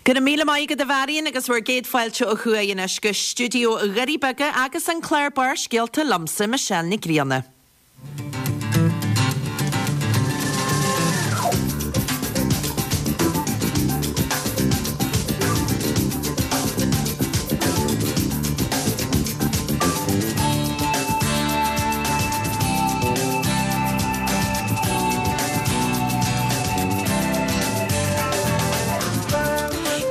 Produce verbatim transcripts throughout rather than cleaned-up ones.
Go raibh míle maith agat a Mharion agus bhur gcéad fáilte ó thuaidh anois go stiúideo Dhoirí Beaga agus an clár Barrscéalta liomsa Michelle Nic Grianna.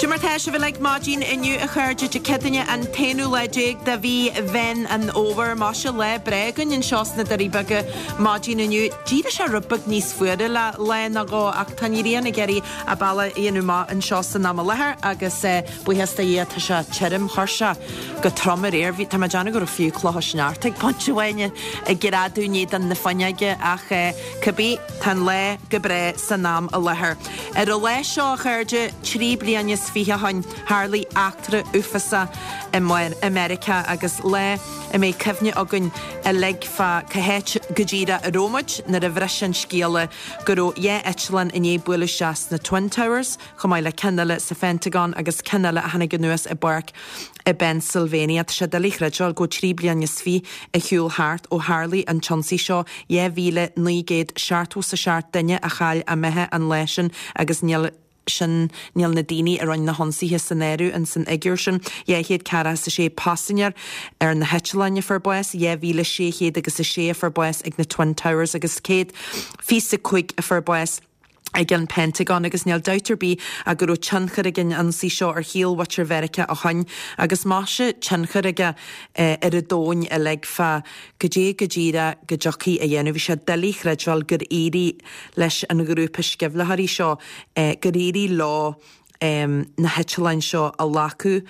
Cad é mar tá sibh uilig maidin inniu a chairde Dé Céadaoine an t-aonú lá déag de mhí Mheán an Fhómhair. Maise lá breá againn anseo sna Doirí Beaga maidin inniu. D'éirigh sé rud beag níos fuaire le lá nó dhó ach tá an ghrian ag iarraidh a bealach a dhéanamh amach anseo san am i láthair agus buíochas do Dhia tá sé tirim chuir sé go trom aréir. Bhí tá mé ag déanamh go raibh fiú clocha sneachta ag pointe amháin ag greadadh in éadan na fuinneoige ach cibé tá an lá go breá san am i láthair. Ar an lá seo a chairde trí bliana is fiche ó shin tharlaigh eachtra uafásach i Meiriceá agus lá a mbeidh cuimhne againn uilig fá cá háit go díreach a raibh muid nuair a bhris an scéala go raibh dhá eitleán i ndiaidh bualadh isteach sna Twin Towers, chomh maith le ceann eile sa Phentagon agus ceann eile a tháinig anuas i bpáirc i bPennsylvania. Tá sé doiligh a chreidbheáil go trí bliana is fiche ar shiúl thart ó tharlaigh an t-ionsaí seo dhá mhíle naoi gcéad seachtó is a seacht duine a chaill a mbeatha an lá sin agus níl sin níl na daoine a rinne na hionsaithe san áireamh in san fhigiúr sin. Dhá chéad ceathracha is a sé paisinéir ar na heitleáin a fuair bás, dhá mhíle sé chéad agus a sé a fuair bás ag na Twin Towers agus céad fiche a cúig a fuair bás ag an Pentagon agus níl dabht ar bith ach go raibh tionchar ag an ionsaí seo ar shaol mhuintir Mheiriceá ó shin agus maise tionchar aige ar an domhan uilig fá goidé go díreach go dtiocfaí a dhéanamh. Bhí sé doiligh a chreidbheáil gur éirigh leis an ghrúpa sceimhlitheoirí seo gur éirigh leo na heitleáin seo a ghlacadh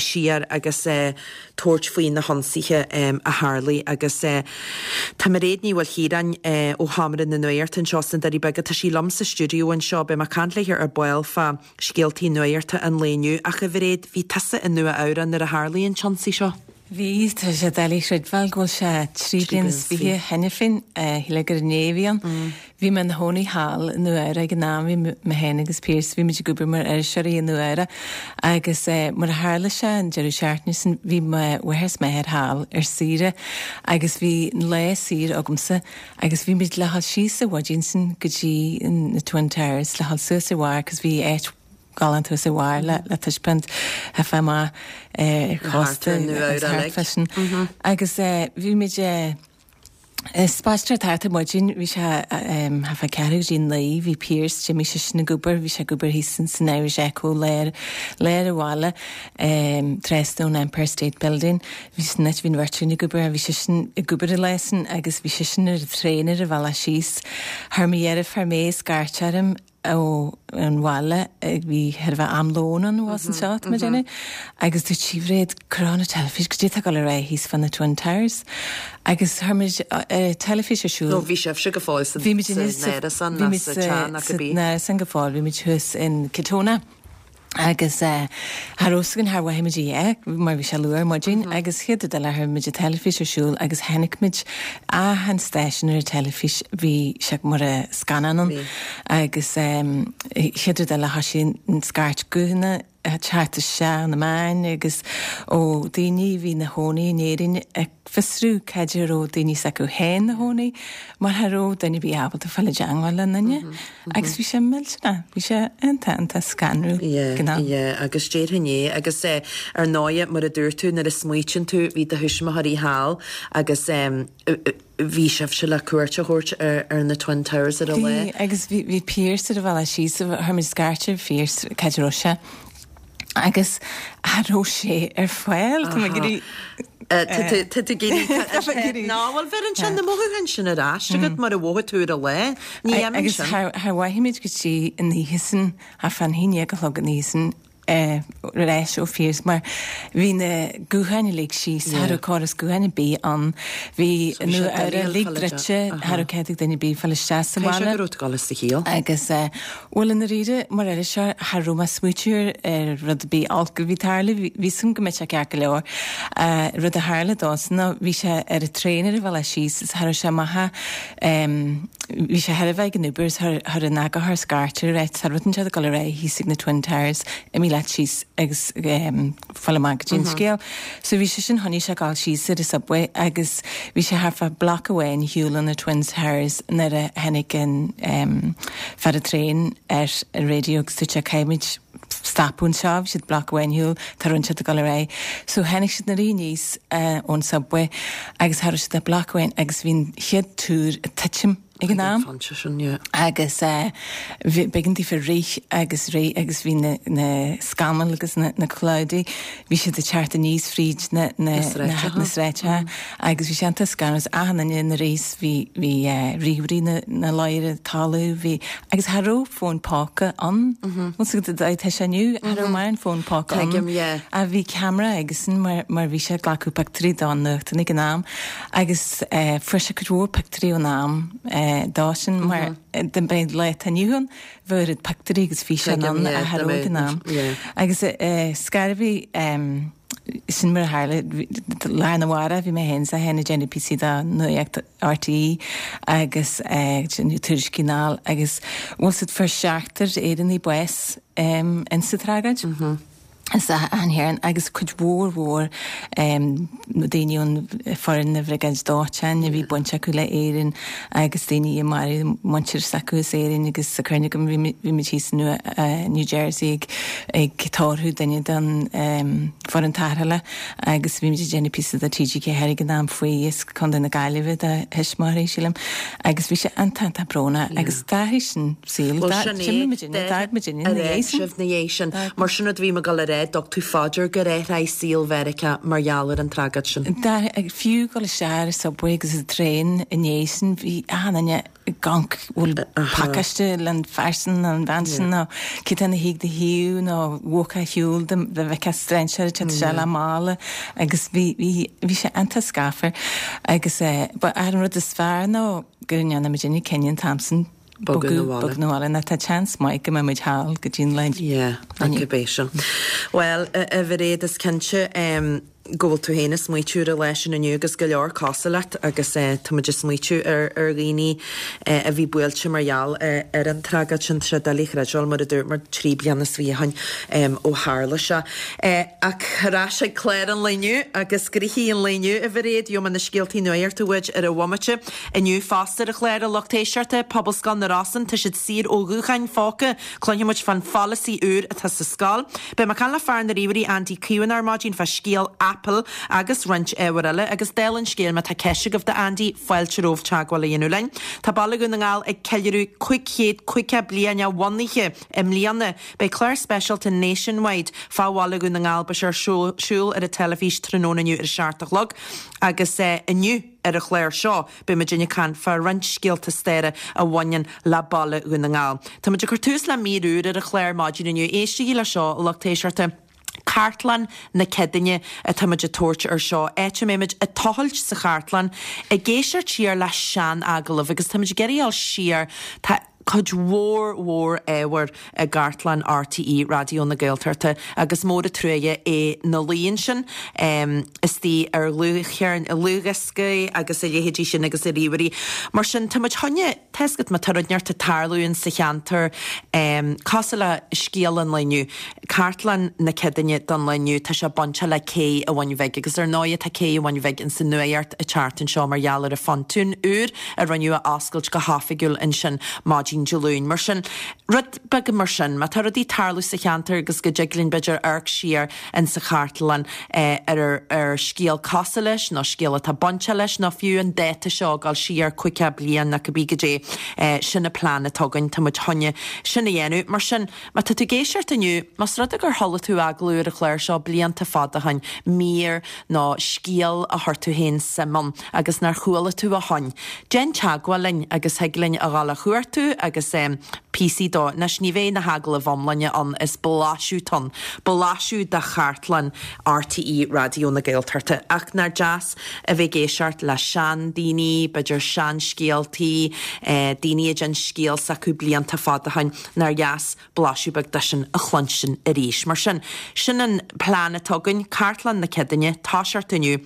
siar agus tabhairt faoi na hionsaithe a tharlaigh agus tá Mairéad Ní Mhaoilchiaráin ó Sheomra na Nuachta anseo sna Doirí Beaga, tá sí liom sa stiúideo anseo, beidh mé ag caint léi ar ball fá scéaltaí nuachta an lae inniu ach a Mhairéad, bhí tusa i Nua Eabhrac nuair a tharlaigh an t-ionsaí seo? Bhí, tá sé doiligh a chreidbheáil go bhfuil sé trí bliana is fiche cheana féin, shílfeá gur inné a bhí ann. Bhí mé ina chónaí thall i Nua Eabhrac ag an am, bhí mé féin agus Pearse, bhí muid ag obair mar iriseoirí i Nua Eabhrac agus mar a tharla sé an deireadh seachtaine sin bhí mo mháthair is m'athair thall ar saoire agus bhí an lá saor agamsa agus bhí muid le dhul síos an mhaidin sin go dtí na Twin Towers le dhul suas ar bharr cos bhí áit galánta thuas ar bharr le le taispeáint fá amach ar chósta agus thart fá sin. Agus bhí muid ag spaisteoireacht thart ar maidin, bhí sé thart fá ceathrú go dtí naoi, bhí Pearse, d'imigh seisean ag obair, bhí sé ag obair thíos san Irish Echo lár lár an bhaile trasna ón Empire State Building. Bhí sin áit, bhí an bheirt againn ag obair, bhí seisean ag obair an lá sin agus bhí seisean ar an traein ar a bhealach síos. Chuir mo dheirfiúr May scairt orm ó an bhaile bhí chóir a bheith am lóin ann abhus anseo tá mé ag déanamh agus dúirt sí Mhairéad cuir on an teilifís goidé tá ag dul ar aghaidh thíos fá na Twin Towers agus chuir muid teilifís ar siúl. Nó bhí sibhse go fóill san árasán nó sa teach nó cibé. Bhí muid san árasán go fóill bhí muid thuas in Katonah. Agus cha raibh fhios againn char mhothaigh muid a dhath mar bhí sé luath ar maidin agus chéad rud eile chuir muid an teilifís ar siúl agus chonaic muid achan stáisiún ar an teilifís bhí sé mar a scannán ann agus chéad rud eile thoisigh an scairt guthanna ag teacht isteach na meáin agus ó daoine a bhí ina chónaí in Éirinn ag fiosrú cad é a raibh daoine s'acu féin ina chónaí mar cha raibh duine ar bith ábalta fáil i dteangmháil le duine agus bhí sé millteanach, bhí sé iontach, iontach scanrúil Yeah, ag an am. yeah, agus déarfainn é agus eh, ar ndóigh mar a dúirt tú nuair a smaoitíonn tú bhí do thuismitheoirí thall agus em, bhí sibhse le cuairt a thabhairt ar, ar na Twin Towers ar an lá. Bhí agus bhí, bhí Pearse ar a bhealach síos, chuir muid scairt ar Phearse cad é a raibh sé. Agus cha raibh sé ar fáil, tá mé ag iarraidh. Tá tú ag iarraidh. Ná, bhuel bheireann sé na mothúcháin sin ar ais agat mar a mhothaigh tú ar an lá. Ní dhéanann Agus sin. char mhothaigh muid go dtí an oíche sin, thart fán haon déag a chlog an oíche sin, ar ais ó Phearse mar bhí na gutháin uilig síos, cha raibh córas gutháin ar bith ann, bhí Nua Eabhrac uilig druidte, cha raibh cead ag duine ar bith fáil isteach sa Caithfidh sé bhaile. go raibh tú ag dul as do chiall. Agus, bhuel, i ndáiríre, mar iriseoir, cha raibh mé ag smaoitiú ar rud ar bith olc a bhí ag tarlú, bhí fhios agam go mbeadh sé ceart go leor. Rud a tharla dósan ná bhí sé ar an traein ar a bhealach síos is cha raibh sé amach, bhí sé chóir a bheith ag an obair is chuir an eagarthóir scairt air, cha raibh rud inteacht ag dul ar aghaidh thíos ag na Twin Towers, imigh leat síos agus fáil amach goidé an scéal. So bhí sé sin tháinig sé gal síos ar an subway agus bhí sé thart fá block amháin shiúl ó na Twin Towers nuair a tháinig an um, fear an traein ar an radio agus dúirt sé caithfimid stopadh anseo, bhí siad block amháin shiúl tar siad ag dul ar aghaidh. So tháinig siad na rí níos uh, ón subway agus thar siad a block amháin agus bhí an chéad túr ag titim ag an am. Agus b'éigean daofa rith agus rith agus bhí na, na scamaill agus na, na cloudy, bhí siad ag teacht aníos fríd na, na, na, na sráideanna agus bhí sé an scanas achan duine na réis bhí bhí uh, ríomhairí na, na láire talamh bhí agus cha raibh fón póca ann tá sé inniu cha raibh mar an fón póca ann a bhí camera agus mar, mar bhí sé glacadh pictiúirí don nuacht ag an am agus uh, fuair sé cuid mhór pictiúirí ón am uh, dá sin mar den beid le inniu bhfuil pictiúirí agus físeáin ann a cha raibh ag an am. Agus uh, scarbhí um, sin mar tharla lá na bhara bhí mé hen sa hena déanamh píosa do Nuacht RTÉ agus tuairiscí agus bhfuil siad fuair seachtar Éireannaigh bás um, in sa tragóid. Mm -hmm. Is an héan agus cuid mhór mhór um, daoine ón foireann na bhriogáid dóiteáin a bhí baint acu le Éirinn agus daoine i mar muintir s'acu as Éirinn agus sa chuirne go bhí mé thíos uh, New Jersey ag, ag tórramh duine den um, foireann tarrthála agus bhí muid déanamh píosa do TG ceathair ag an am faoi is Contae na Gaillimhe do thuismitheoirí sílim agus bhí sé an-an brónach agus d'athraigh sin saol na sin mar sin bhí go le dtug tú faoi deara gur athraigh saol Mheiriceá mar gheall ar an tragóid sin. Fiú go leis ar subway agus an traein in éis bhí achan gank bhfuil pacáiste len fearsan an bhean sin nó cé na hiig de hiú nó bhca hiúil de bheith strainséir te se le mála agus bhí sé an-scáfar agus ba ar an rud is fearr nó gur ndearna muidinne cinneadh an t-am sin bogadh 'na bhaile na tá chance maith go mbeidh thall go dtí'n le. Yeah, an sin. Well a Mhairéad is cinnte um, go bhfuil tú féin ag smaoitiú ar leis sin inniu agus go leor cosúil leat agus uh, tá muid ag smaoitiú ar ar dhaoine uh, a bhí buailte mar gheall uh, ar an tragóid sin sé doiligh a chreidbheáil mar a dúirt mar trí bliana is fiche ó shin um, ó tharla sé. Uh, ach ar ais ag clár an lae inniu agus gnoithí an lae inniu a Mhairéad gheobhaidh muid na scéaltaí nuachta uait ar an bhomaite inniu fosta ar an chlár a lucht éisteachta Pobalscoil na Rosann tá siad saor ó ghutháin phóca cluinfimid fán pholasaí úr atá sa scoil. Beidh mé ag caint le fear na ríomhairí Andy Keown ar maidin fá scéal Apple agus roinnt ábhar eile agus dála an scéil má tá ceist agaibh do Andy fáilte romhaibh teagmháil a dhéanamh linn. Tá Baile Dhún na nGall ag ceiliúradh cúig chéad caoga bliain a bhunaithe i mbliana beidh clár speisialta Nationwide fá Bhaile Dhún na nGall beidh sé ar siúl ar an teilifís tráthnóna inniu ar a seacht a chlog agus uh, inniu ar an chlár seo beidh muid ag caint fá roinnt scéalta staire a bhaineann le Baile Dhún na nGall. Tá muid ag cur tús le mír úr ar an chlár maidin inniu éistigí le seo lucht éisteachta. Cartlann na Céadaoine atá muid ag tabhairt ar seo. Áit a mbeimid ag tochailt sa chartlann ag éisteacht siar le sean-agallamh agus tá muid ag iarraidh dul siar tá cuid mhór mhór ábhar i gcartlann RTÉ Raidió na Gaeltachta agus mór an truaighe é na líon sin um, istigh ar dhlúthdhioscaí agus a leithéidí sin agus i ríomhairí. Mar sin tá muid chun teascat má tá rud inteacht ag tarlú sa cheantar um, cosúil le scéal an lae inniu, Cartlann na Céadaoine don lá inniu tá sé bainte le cé a bhain bheith, agus ar ndóigh tá cé a bhain bheith in san nuacht an tseachtain seo mar gheall ar an phontún úr a rinneadh a oscailt go hoifigiúil ansin maidin Dé Luain. Mar sin rud beag mar sin, má tá rudaí ag tarlú sa cheantar agus go dtig linn b'fhéidir amharc siar in sa chartlann eh, ar ar scéal cosúil leis nó scéal atá bainte leis nó fiú an dáta seo dul siar caoga bliain na cibé goidé eh, sin an plean atá againn tá muid chun sin a dhéanamh mar sin má tá tú ag éisteacht inniu más rud é gur chuala tú agallamh ar an chlár seo blianta fada ó shin mír nó scéal a chuir tú féin suim ann agus nár chuala tú ó shin. Déan teagmháil linn agus thig linn a ghabháil a chuartú agus um, píosaí dó anois ní bheidh na hagallaimh iomlána ann is blaiseadh atá ann, blaiseadh de chartlann RTÉ Raidió na Gaeltachta ach nár deas a bheith ag éisteacht le seandaoine, b'fhéidir seanscéaltaí, eh, daoine a d'inis scéal s'acu blianta fada ó shin nár dheas blaiseadh beag de sin a chluinstin arís. Mar sin sin an plean atá againn, cartlann na Céadaoine, toiseacht inniu.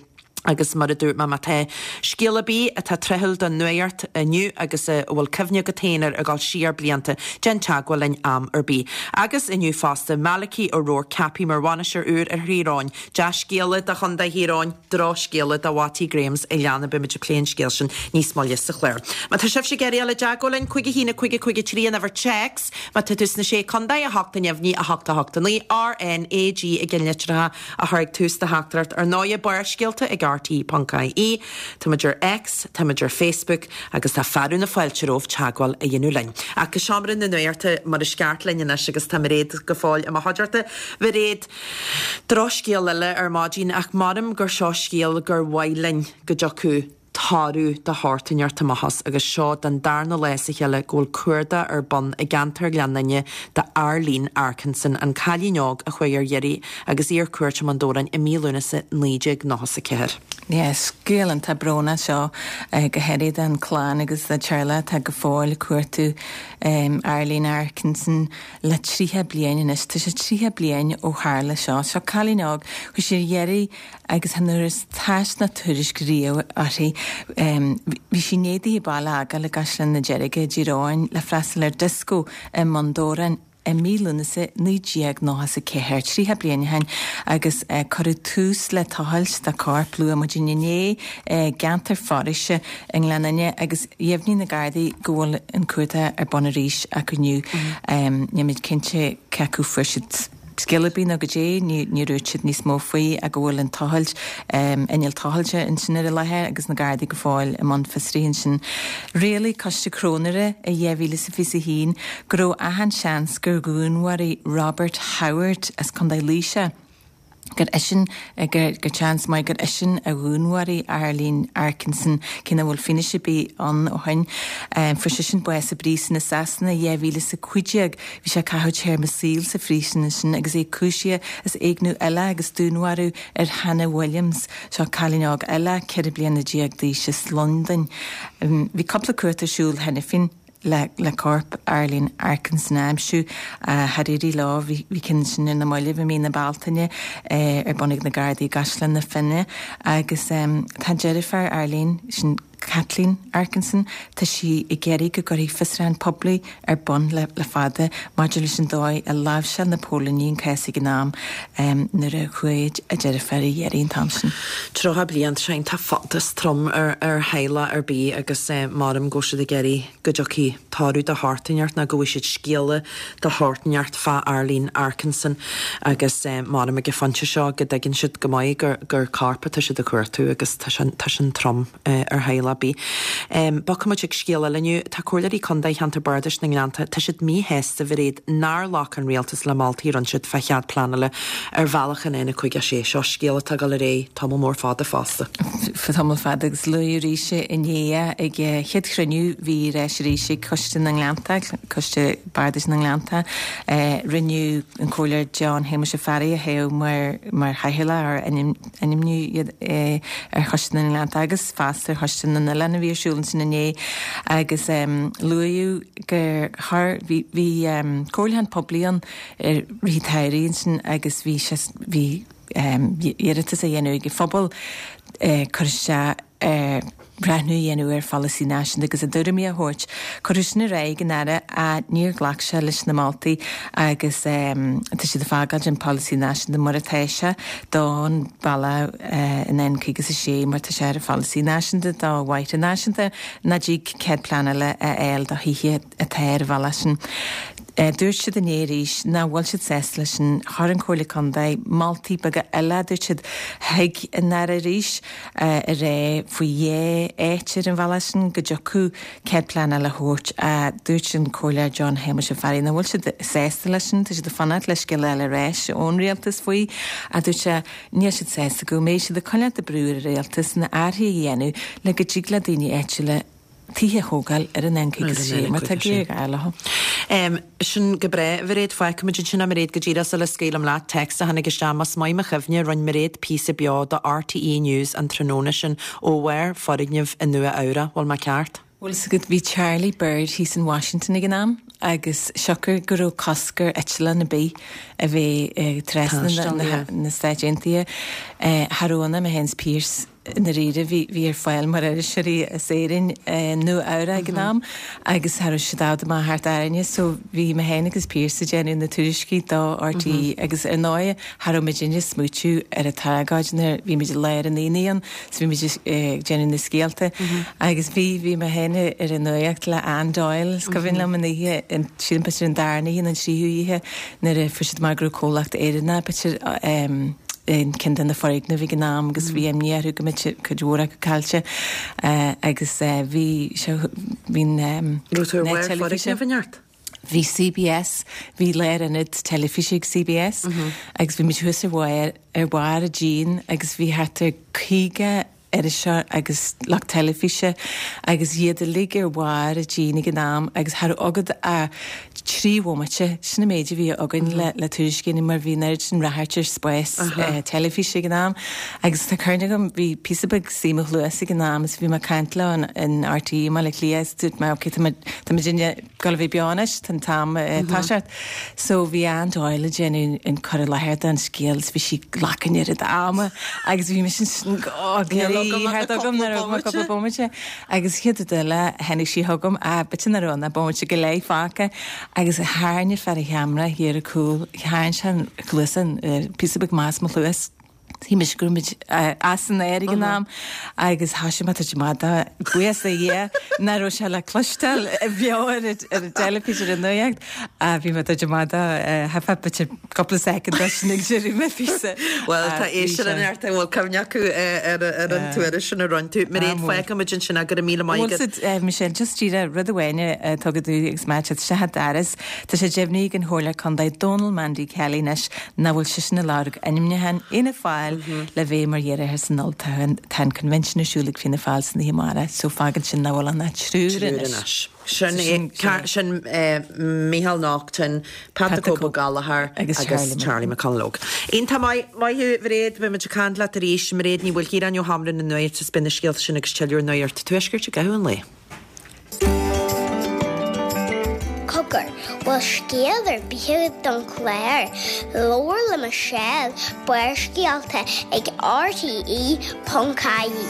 Agus mar a dúirt mé má tá scéal ar bith atá tráthúil don nuacht inniu agus a bhfuil cuimhne agat féin air ag dul siar blianta, déan teagmháil linn am ar bith. Agus inniu fosta, Malachy O'Rourke ceaptha mar bhainisteoir úr ar Thír Eoghain. Dea-scéala do Chontae Thír Eoghain, drochscéala do Mhattie Grahams a leanadh beimid ag plé an scéil sin níos moille sa chlár. Má tá sibhse ag iarraidh dul i dteagmháil linn cúig a haon a cúig a cúig a trí an uimhir téacs, má tá tú sna sé contae a hocht a neamhní a hocht a hocht a naoi R N A G i gceannlitreacha a chur ag tús do theachtaireacht ar ndóigh Barrscéalta ag RTÉ.ie. Táimid ar X, táimid ar Facebook agus tá fearadh na fáilte romhaibh teagmháil a dhéanamh linn. Ach go seomra na nuachta mar is ceart linn anois agus tá Mairéad go fóill i mo chuideachta. Mairéad, drochscéal eile ar maidin ach measaim gur seo scéal gur mhaith linn go dtiocfadh toradh de shórt inteacht amach as agus seo den darna lá as a chéile go bhfuil cuardach ar bun i gceantar Ghleann Fhinne d'Arlene Arkinson, an cailín óg a chuaigh ar iarraidh agus í ar cuairt i mBun Dobhráin i mí Lúnasa naoi déag nócha is a ceathair. Yes, scéal iontach brónach seo eh, go háirithe don chlann agus do theaghlach atá go fóill ag cuartú um, Arlene Arkinson le tríocha bliain anois tá sé tríocha bliain ó tharla seo, seo cailín óg chuaigh sí ar iarraidh agus chan fhuarthas tásc ná tuairisc riamh uirthi. Um, bhí sí i ndiaidh di baile a fhágáil i gCaisleán na Deirge i dTír Eoghain le freastal ar disco i mBun Dobhráin i mí Lúnasa naoi déag nócha is a ceathair tríocha bliain ó shin agus eh, cuireadh tús le tochailt dá corp luath maidin inné eh, gceantar foraoise i nGleann Fhinne agus dheimhnigh na Gardaí go bhfuil an cuardach ar bun arís acu inniu. Um, Nílimid cinnte cé acu fuair siad scéal ar bith nó goidé ní dúirt siad níos mó faoi ach go bhfuil an tochailt um, inneall tochailte ansin ar an láthair agus na Gardaí go fóill i mbun fiosraithe ansin. Rialaigh coiste cróinéara i dhá mhíle is fiche haon go raibh achan seans gur dhúnmharaigh Robert Howard as Contae Laoise. gur eisean gur gur seans maith gur eisean a dhúnmharaigh Arlene Arkinson cé nach bhfuil fianaise ar bith ann ó shin. Um, Fuair seisean bás i bpríosún i Sasana dhá mhíle is a cúig déag bhí sé ag caitheamh téarma saoil sa phríosún sin agus é cúisithe as éigniú eile agus dúnmharú ar Hannah Williams seo cailín óg eile ceithre bliana déag d'aois as Londain. Um, bhí cúpla cuardach ar siúl cheana féin le, le corp Arlene Arkinson a aimsiú char éirigh leo bhí ceann sin ar na mallaibh i mí na Bealtaine eh, ar bun ag na Gardaí i gCaisleán na Finne agus um, tá deirfiúr Arlene sin Kathleen Arkinson tá sí ag iarraidh go gcuirfí fiosrúchán poiblí ar bun le, le fada maidir leis an dóigh a láimhseáil na póilíní an cás ag an am um, nuair a chuaigh a deirfiúr ar iarraidh an t-am sin. Tríocha bliain sin tá fada trom ar ar theaghlach ar bith agus eh, maram go siad ag iarraidh go dtiocfaidh toradh de shórt inteacht ná go bhfaighidh siad scéala de shórt inteacht fá Arlene Arkinson agus eh, maram ag an phointe seo go dtuigeann siad go maith gur gur corp atá siad ag cuartú agus tá sin tá sin trom eh, ar theaghlach ar bith. Um, Bogfaimid ag scéal eile inniu tá comhairleoirí contae cheantar bardais na nGleannta tá siad míshásta a Mhairéad nár ghlac an rialtas le moltaí a rinne siad fá chead pleanála ar bhealach an N cúig sé seo scéal atá ag dul ar aghaidh tamall mór fada fosta. Tamall fada agus luadh arís inné ag chéad chruinniú bhí reis arís ag Coiste na nGleannta, Coiste Bardais na nGleannta, rinneadh an comhairleoir John Shéamuis Ó Fearraigh a thoghadh mar mar chathaoirleach ar ainmniú ar Choiste na nGleannta agus fosta ar Choiste na nOileán a bhí ar siúl ansin inné agus um, luadh gur thar bhí bhí um, comhairliúchán poiblí ann ar rith an tsamhraidh ansin agus bhí bhí um, iarratas á dhéanamh ag an phobal uh, cur isteach uh, breathnú a dhéanamh ar pholasaí náisiúnta agus a dtuairimí a thabhairt. Cuireadh sin ar aghaidh an Aire a níor ghlac sé leis na moltaí agus um, tá siad ag fágáil an polasaí náisiúnta mar atá sé don bhealach uh, in N cúig a sé mar tá sé ar pholasaí náisiúnta do bhóithre náisiúnta ná dtig cead pleanála a fháil do thithe atá ar an bhealach sin. Uh, dúirt siad inné arís nach bhfuil siad sásta leis sin chuir an Chomhairle Contae moltaí beaga eile dúirt siad chuig an Aire arís uh, a rá faoi dhá áit ar an bhealach sin go dtiocfadh cead pleanála a thabhairt a dúirt an comhairleoir John Shéamuis Ó Fearraigh nach bhfuil siad sásta leis sin tá siad ag fanacht le scéal eile arís ón rialtas faoi a dúirt sé níl siad sásta go mbeidh siad ag coinneáil brú ar an rialtas na hathruithe a dhéanamh le go dtig le daoine áitiúla tithe a thógáil ar an N cúig sé mar tá géarghá leo. Um, sin go breá Mhairéad fágfaimid ansin é Mairéad go díreach sula scaoilim leat téacs a tháinig isteach más maith mo chuimhne rinne Mairéad píosa beo do RTE News an tráthnóna sin ó bharr foirgneamh i Nua Eabhrac, bhfuil mé ceart? Bhfuil a fhios agat bhí Charlie Bird thíos in Washington ag an am agus siocair go raibh cosc ar eitleán ar bith a bheith trasna na Stáit Aontaithe. Cha raibh ann ach mé féin is Pearse i ndáiríre bhí bhí ar fáil mar iriseoirí as Éirinn Nua Eabhrac ag an am agus cha raibh siad i bhfad amach thart orainne so bhí mé féin agus Pearse ag déanamh na tuairiscí do RTÉ agus ar ndóigh cha raibh muidinne ag smaoitiú ar an tragóid nuair bhí muid i lár an aonaigh ann so bhí muid ag déanamh na scéalta agus bhí bhí mé féin ar an nuacht le Anne Doyle is cuimhin liom an oíche sílim b'fhéidir an darna oíche nó an tríú oíche nuair a fuair siad amach go raibh comhlacht Éireannach b'fhéidir in ceann de na foirgnimh ag an am agus bhí imní orthu go mbeadh cuid mhór acu caillte agus bhí sé bhí'n Raibh tú ar bharr foirgneamh in Bhí CBS, bhí lárionad teilifíse ag CBS agus bhí muid thuas ar bharr ar bharr an díon agus bhí thart ar caoga iriseoir agus lucht teilifíse agus iad uilig ar bharr an dín ag an am agus cha raibh agat ach trí bhomaite, sin an méid a bhí againn le le tuairisc a dhéanamh mar bhí an oiread sin ráchairt ar spás teilifíse ag an am agus tá cuimhne agam bhí píosa beag suí mo chluas ag an am is bhí mé ag caint leo in RTÉ i mBaile Átha Cliath is dúirt mé ok tá muid tá muidinne ag gabháil a bheith beo anois tá an t-am ag toiseacht. So bhí Anne Doyle ag déanamh an cur i láthair den scéal is bhí sí ag glacadh an oiread ama agus bhí mise ansin oh thart agam nuair a raibh cúpla bomaite agus chéad rud eile tháinig sí chugam ah b'fhéidir nach raibh ann ach bomaite go leith fágtha agus tharraing fear an cheamara thiar ar cúl tharraing sé an chluas an píosa beag amach as mo chluas. Shíl mise go raibh muid as an aer ag an am agus thoisigh mé ag tabhairt amach dó buíochas do Dhia nach raibh sé le cloisteáil beo ar an teilifís ar an nuacht. Bhí mé ag tabhairt amach dó thart b'fhéidir cúpla soicind leis sin ag deireadh mé píosa. Bhuel tá éisteoirí in neart an bhfuil cuimhne acu ar an tuairisc sin a roinn tú. Mairéad fágfaidh muid ansin go raibh míle maith agat. Bhuel Michelle just díreach rud amháin atá go dtí agus má tá sé Daras Tá sé deimhnithe ag an Chomhairleoir Contae Dónal Mandy Kelly anois nach bhfuil seisean ag lorg ainmniúcháin Fhianna Fáil le bheith mar iarrthóir san olltoghchán. Tá an convention ar siúl ag Fianna Fáil san oíche amárach so fágann sin nach bhfuil ann ach triúr anois. Sin é, sin Micheál Naughton, Pat the Cope Gallagher agus Charlie McConalogue. Iontach maith, maith thú Mhairéad, beidh muid ag caint leat arís. Mairéad Ní Mhaoilchiaráin ó Sheomra na Nuachta is beidh na scéalta sin agus tuilleadh ar Nuacht an Tuaiscirt i gcaitheamh an lae. Cogar, bhfuil scéal ar bith agat don chlár? Labhair le Michelle, Barrscéalta ag RTE ponc ie.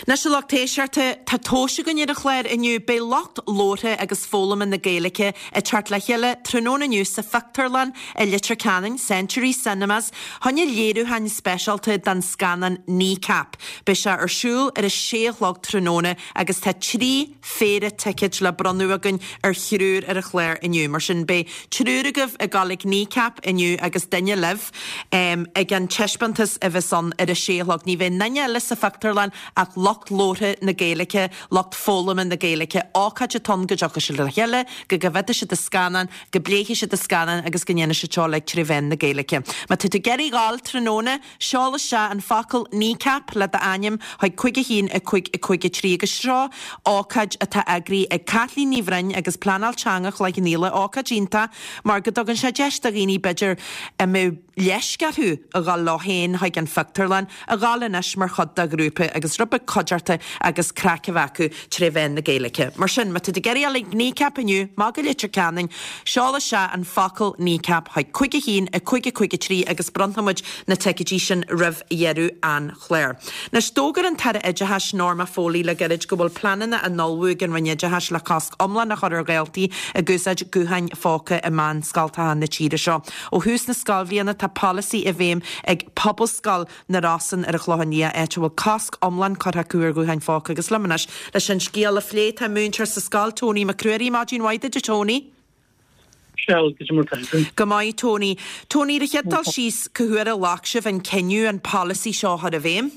Anois a lucht éisteachta, tá tomhais againn ar an chlár inniu. Beidh lucht labhartha agus foghlama na Gaeilge ag teacht le chéile tráthnóna inniu sa phictiúrlann i Leitir Ceanainn, Century Cinemas, choinne léiriúcháin speisialta den scannán Kneecap. Beidh sé ar siúl ar a sé a chlog tráthnóna agus tá trí phéire ticéid le bronnadh againn ar thriúr ar an chlár inniu. Mar sin beidh triúr agaibh ag dul ag Kneecap inniu agus duine libh ag an taispeántas a bheas ann ar a sé a chlog. Ní bheidh aon duine eile sa phictiúrlann ach lucht labhartha na Gaeilge, lucht foghlama na Gaeilge. Ócáid atá ann go dtiocfaidh siad le chéile, go gcoimhéadfaidh siad an scannán, go bpléifidh siad an scannán agus go ndéanfaidh siad seo uilig tré mheán na Gaeilge. Má tá tú ag iarraidh dhul tráthnóna, seol isteach an focal Kneecap le d'ainm chuig cúig a haon a cúig a cúig a trí agus seo ócáid atá eagraithe ag Caitlín Ní Bhroin agus Pleanáil Teanga Chloich Cheann Fhaola, ócáid iontach mar go dtugann sé deis do dhaoine b'fhéidir a mbeadh leisc orthu a dhul leo féin chuig an phictiúrlann, a dhul anois mar chuid de ghrúpa agus rud beag cuideachta agus craic a bheith acu tré mheán na Gaeilge. Mar sin, má tá tú ag iarraidh dhul ag Kneecap inniu, amach go Leitir Ceanainn, seol isteach an focal Kneecap chuig cúig a haon a cúig a cúig a trí agus bronnfaidh muid na ticéidí sin roimh dheireadh an chláir. Anois, d'fhógair an tAire Oideachais Norma Foley le gairid go bhfuil pleananna á n-ullmhú ag an Roinn Oideachais le cosc iomlán a chur ar dhaltaí ag úsáid gutháin phóca i meánscoltacha na tíre seo. Ó thús na scoilbhliana tá polasaí i bhfeidhm ag Pobalscoil na Rosann ar an Chlochán Liath, áit a bhfuil cosc iomlán curtha acu ar ghutháin phóca agus liom anois leis an scéal a phlé tá múinteoir sa scoil, Tony Mac Ruairí. Maidin mhaith duit a Tony. Michelle, goidé mar tá tú? Go maith Tony. Tony, ar an chéad dul síos, cá huair a ghlac sibh an cinneadh an polasaí seo a chur i bhfeidhm?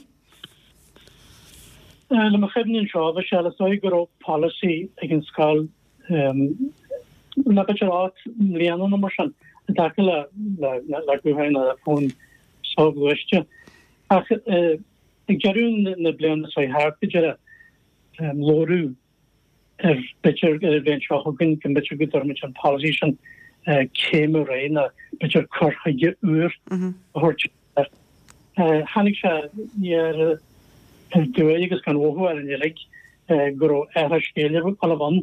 Le mo chuimhne anseo, Michelle, is dóigh go raibh polasaí ag an scoil le b'fhéidir ocht mbliana nó mar sin i dtaca le le gutháin nó le fóin soghluaiste. Ach ag deireadh na bliana seo thart go deireadh labhradh ar b'fhéidir ar an bhliain seo chugainn go mb'fhéidir go dtabharfaimid an polasaí sin céim ar aghaidh nó b'fhéidir cur chuige úr a thabhairt air. Tháinig sé aniar aduaidh agus gan mhothú orainn uilig go raibh athrá scéil ag dul a bheith ann.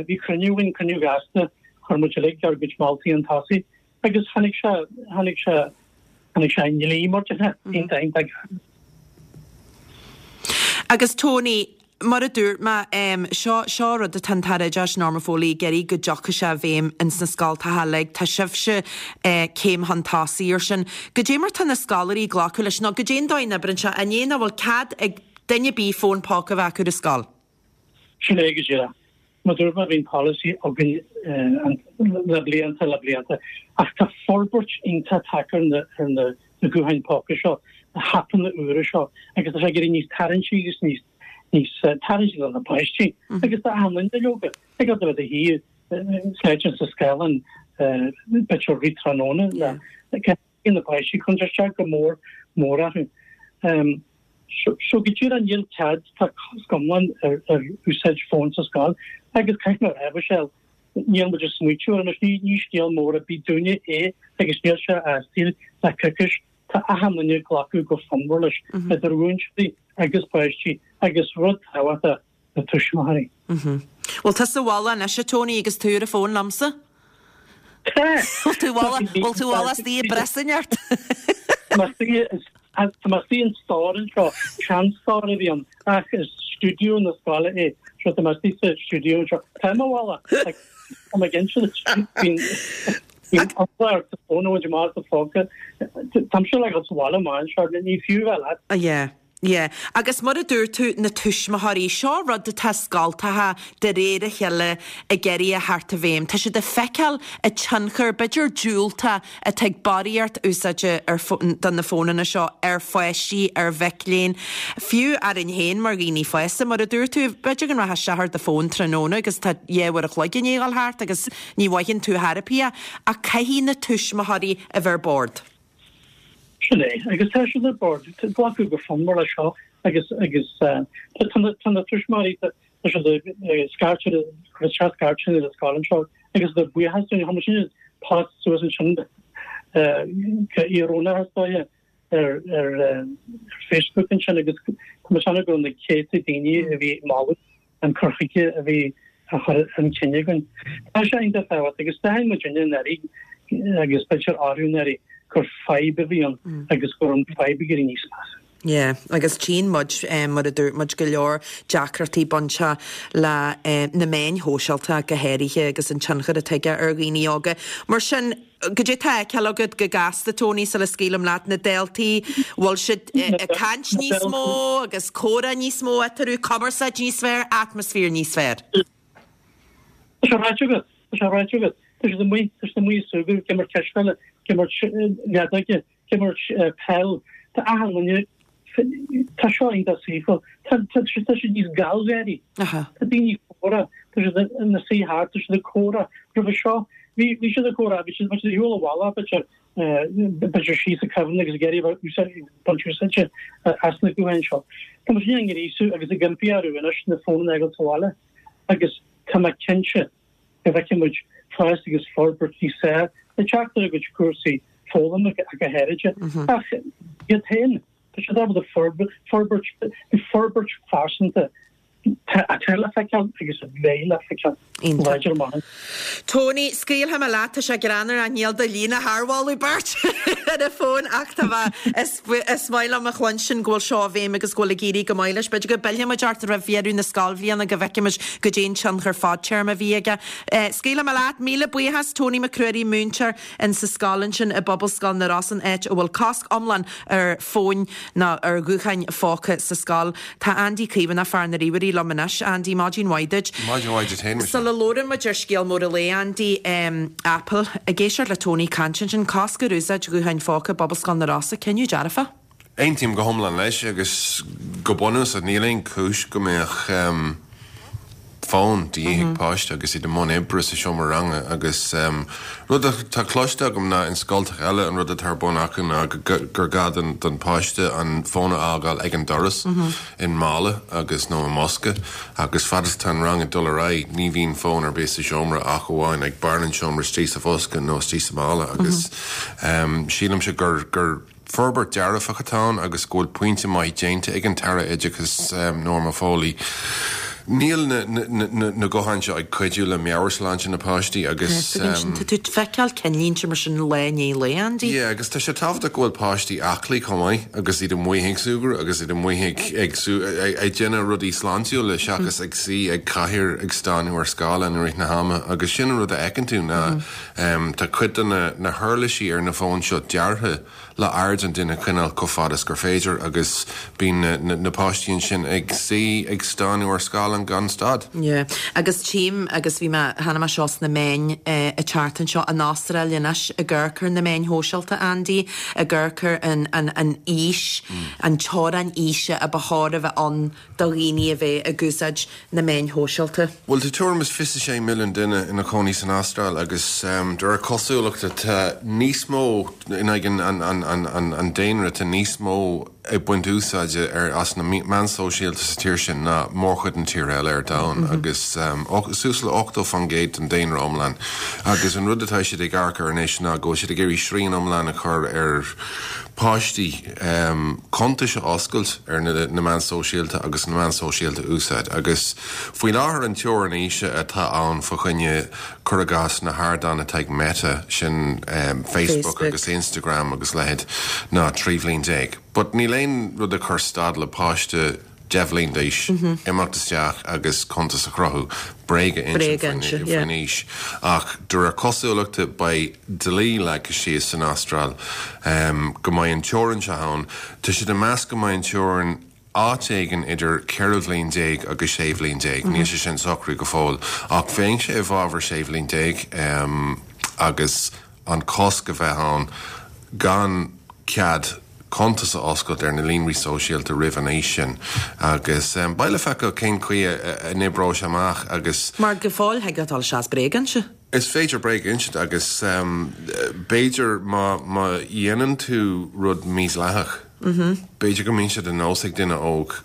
Bhí cruinniú againn, cruinniú gasta, chuir muid uilig ár gcuid moltaí chun tosaigh agus tháinig sé, tháinig sé Tháinig sé i ndlí mar déarfá, iontach iontach. Agus Tony, mar a dúirt mé, seo seo rud atá an tAire Oideachais Norma Foley ag iarraidh go dtiocfaidh sé i bhfeidhm ins na scoltacha uilig. Tá sibhse céim chun tosaigh ar sin. Goidé mar tá na scoláirí ag glacadh leis nó goidé an dóigh a n-oibríonn sé? An é nach bhfuil cead ag duine ar bith fón póca a bheith acu ar scoil? Sin é go díreach. Mar a dúirt mé bhí an polasaí againn le blianta le blianta ach tá forbairt iontach tagtha ar na na gutháin póca seo, na haipeanna úra seo agus tá sé ag éirí níos tarraingtí agus níos níos tarraingtí do na páistí agus do achan duine leoga. Ag a bheith ina shuí sléibhte sa scáileán b'fhéidir rith tráthnóna le na páistí cuireann sé isteach go mór mór orthu. So go díreach níl cead, tá cosc iomlán ar ar úsáid fóin sa scoil agus caithfidh mé a rá, Michelle, níl muid ag smaoitiú air anois, ní ní scéal mór ar bith dúinne é agus níl sé as le coicís, tá achan duine ag glacadh go fonnmhar leis, idir mhúinteoirí agus páistí agus rud tábhachtach, na tuismitheoirí. Bhfuil tusa sa bhaile anois, a Tony, agus tú ar an bhfón liomsa? Tá! Bhfuil tú bhfuil tú bhfuil istigh ag breasain ort? Tá mé istigh in stór anseo, seanstór a bhí ann, ach is stiúideo na scoile é, so tá mé istigh sa stiúideo anseo. Tá mé bhaile, tá mé ag inse duit, bíonn bíonn eagla ort do fón a bhaint amach as do phóca. Táimse le dhul sa bhaile amach anseo, ní fiú bheith leat. Yeah. Yeah. Agus mar a dúirt tú, na tuismitheoirí, seo rud atá scoltacha de réir a chéile ag iarraidh a theacht i bhfeidhm. Tá siad ag feiceáil an tionchar, b'fhéidir diúltach, atá ag barraíocht úsáide ar do na fónanna seo ar pháistí, ar mhic léinn, fiú orainn féin mar dhaoine fásta. Mar a dúirt tú, b'fhéidir go rachfá isteach ar do fón tráthnóna agus tá dhá uair a chloig i ndiaidh a dhul thart agus ní mhothaíonn tú chor ar bith é. Ach caithfidh na tuismitheoirí a bheith ar bord. Sin é, agus tá siad ar bord, glacadh go fonnmhar leis seo agus agus tá tá na tuismitheoirí tá siad ag scairteadh cur isteach scairteanna ar an scoil anseo agus iad buíoch dúinn, chuir muid sin post suas ansin go íorónach is dóiche ar ar Facebook ansin agus tá mé ag séanadh go raibh na céadta daoine a bhí ag moladh an cur chuige a bhí á chur chun cinn againn. Tá sé iontach tábhachtach agus d'aithin muid anuraidh agus b'fhéidir arú anuraidh gur fadhb a bhí ann agus go raibh an fadhb ag éirí níos measa. Yeah, agus tchíonn muid, mar a dúirt muid, go leor deacrachtaí bainteach le na meáin shóisialta go háirithe agus an tionchar atá aige ar dhaoine óga. Mar sin, goidé tá á fheiceáil agat go gasta, Tony, sula scaoilim leat, na daltaí, bhfuil siad ag caint níos mó agus comhrá níos mó eatarthu, cumarsáid níos fearr, atmaisféar níos fearr? Tá sé ráite agat, tá sé ráite agat. Tá siad amuigh, tá siad amuigh ag súgradh, ag imirt cispheile, ag imirt leadóige, ag imirt peil. Tá achan duine, tá seo iontach saoithiúil. Tá, tá, tá siad níos gealgháirí. Tá daoine ag comhrá, tá siad ina suí thart, tá siad ag comhrá. Roimhe seo, bhí, bhí siad ag comhrá, bhí siad, bhí siad ar shiúl abhaile, b'fhéidir, b'fhéidir síos ag cuimhneamh agus ag iarraidh a bheith úsáid, baint úsáide as na gutháin seo. Tá muid á ngríosú agus ag impí orthu anois na fónanna a fhágáil sa bhaile agus tá mé cinnte go bhfeicfidh muid fás agus forbairt níos fearr ag teacht ar a gcuid cúrsaí foghlama go háirithe. Ach iad féin, tá siad ábalta forbairt, forbairt phearsanta atá le feiceáil agus a bheidh le feiceáil láidir amach. Tony, scaoilfidh mé leat, tá sé greannmhar ach níl do líne thar mholadh beirt ar an bhfón ach tá mé, is, is maith liom a chluinstin go bhfuil seo i bhfeidhm agus go bhfuil ag éirí go maith leis. B'fhéidir go bpillfidh muid ort roimh dheireadh na scoilbhliana go bhfeicfidh muid goidé an tionchar fadtéarma a bhí aige. Scaoilfidh mé leat, míle buíochas, Tony Mac Ruairí, múinteoir in sa scoil ansin i bPobalscoil na Rosann, áit a bhfuil cosc iomlán ar fóin ná ar ghutháin phóca sa scoil. Tá Andy Caomhánach, fear na ríomhairí, liom anois. Andy, maidin mhaith duit. Maidin mhaith duit féin, Michelle. Sula labhrann muid ar scéal mór an lae, Andy, Apple, ag éisteacht le Tony ag caint ansin, cosc ar úsáid ghutháin phóca i bPobalscoil na Rosann, cinneadh dearfach. Aontaím go hiomlán leis agus go bunúsach níl aon chúis go mbeadh fón de dhíth ag páiste agus iad i mbun oibre sa seomra ranga agus rud atá cloiste agam ná in scoltacha eile an rud atá ar bun acu ná gur gá don pháiste an fón a fhágáil ag an doras i mála agus nó i mbosca agus fad is atá an rang ag dul ar aghaidh ní bhíonn fón ar bith sa seomra ach amháin ag barr an seomra istigh sa bhosca nó istigh sa mála agus sílimse gur gur Forbairt dearfach atá ann agus go bhfuil pointe maith déanta ag an tAire Oideachais Norma Foley Níl na, na, na, na gutháin seo ag cuidiú le meabhairshláinte na páistí agus Tá tú feiceáil cinnlínte mar sin lá i ndiaidh lae, Andy. Yeah, agus tá sé tábhachtach go bhfuil páistí aclaí chomh maith agus iad amuigh ag súgradh agus iad amuigh ag ag sú ag, ag déanamh rudaí sláintiúla seachas ag suí ag cathaoir ag stánadh ar scáileán i rith na hama agus sin an rud a fheiceann tú ná um, tá cuid de na, na huirlisí ar na fóin seo deartha le aird an duine a choinneáil chomh fada is gur féidir agus bíonn na, na, na páistí ansin ag suí ag stánadh ar scáileán gan stad. Yeah. Agus tím agus bhí mé chonaic mé seo sna meáin eh, an tseachtain seo an Astráil anois ag amharc ar na meáin shóisialta Andy ag amharc ar an, an, an aois mm. an teorainn aoise a ba chóir a bheith ann do dhaoine a bheith ag úsáid na meáin shóisialta. Well tá tuairim is fiche sé milliún duine ina chónaí san Astráil agus um, de réir cosúlachta tá níos mó in aghaidh an, an, an, an, an, an daonra tá níos mó ag baint úsáide ar as na meáin sóisialta sa tír sin ná mórchuid na tíre eile ar domhan mm -hmm. agus um, suas le ochtó faoin gcéad den daonra iomlán. Agus an rud atá siad ag amharc air anois ná go siad ag iarraidh srian iomlán a chur ar páistí um, cuntais a oscailt ar na, na meáin sóisialta agus na meáin sóisialta úsáid. Agus faoi láthair an teorainn aoise atá ann fá choinne cur i gcás na hardáin atá ag Meta sin um, Facebook, Facebook agus Instagram agus leithéid ná trí bhliain déag. But níl aon rud a chur stad le páiste deich mbliain d'aois mm -hmm. imeacht isteach agus cuntas a chruthú bréag faoin aois. Ach de réir cosúlachta beidh dlí leagtha síos san Astráil um, go mbeidh an teorainn seo ann, Tá siad ag meas go mbeidh an teorainn áit éigin idir ceithre bhliain déag agus sé bhliain déag, mm -hmm. Níl sé sin socraithe go fóill ach bheinn sé i bhfabhar sé bhliain déag um, agus an cosc a bheith ann gan cead cuntas a oscailt ar na líonraí sóisialta roimh an aois sin agus um, beidh le feiceáil cén chaoi a n-oibreoidh sé amach agus Mar go fóill thig leat dul isteach bréag a inse. Is féidir bréag a insint agus um, b'fhéidir má má dhéanann tú rud mídhleathach. Mm -hmm. B'fhéidir go mbíonn sé de nós ag duine óg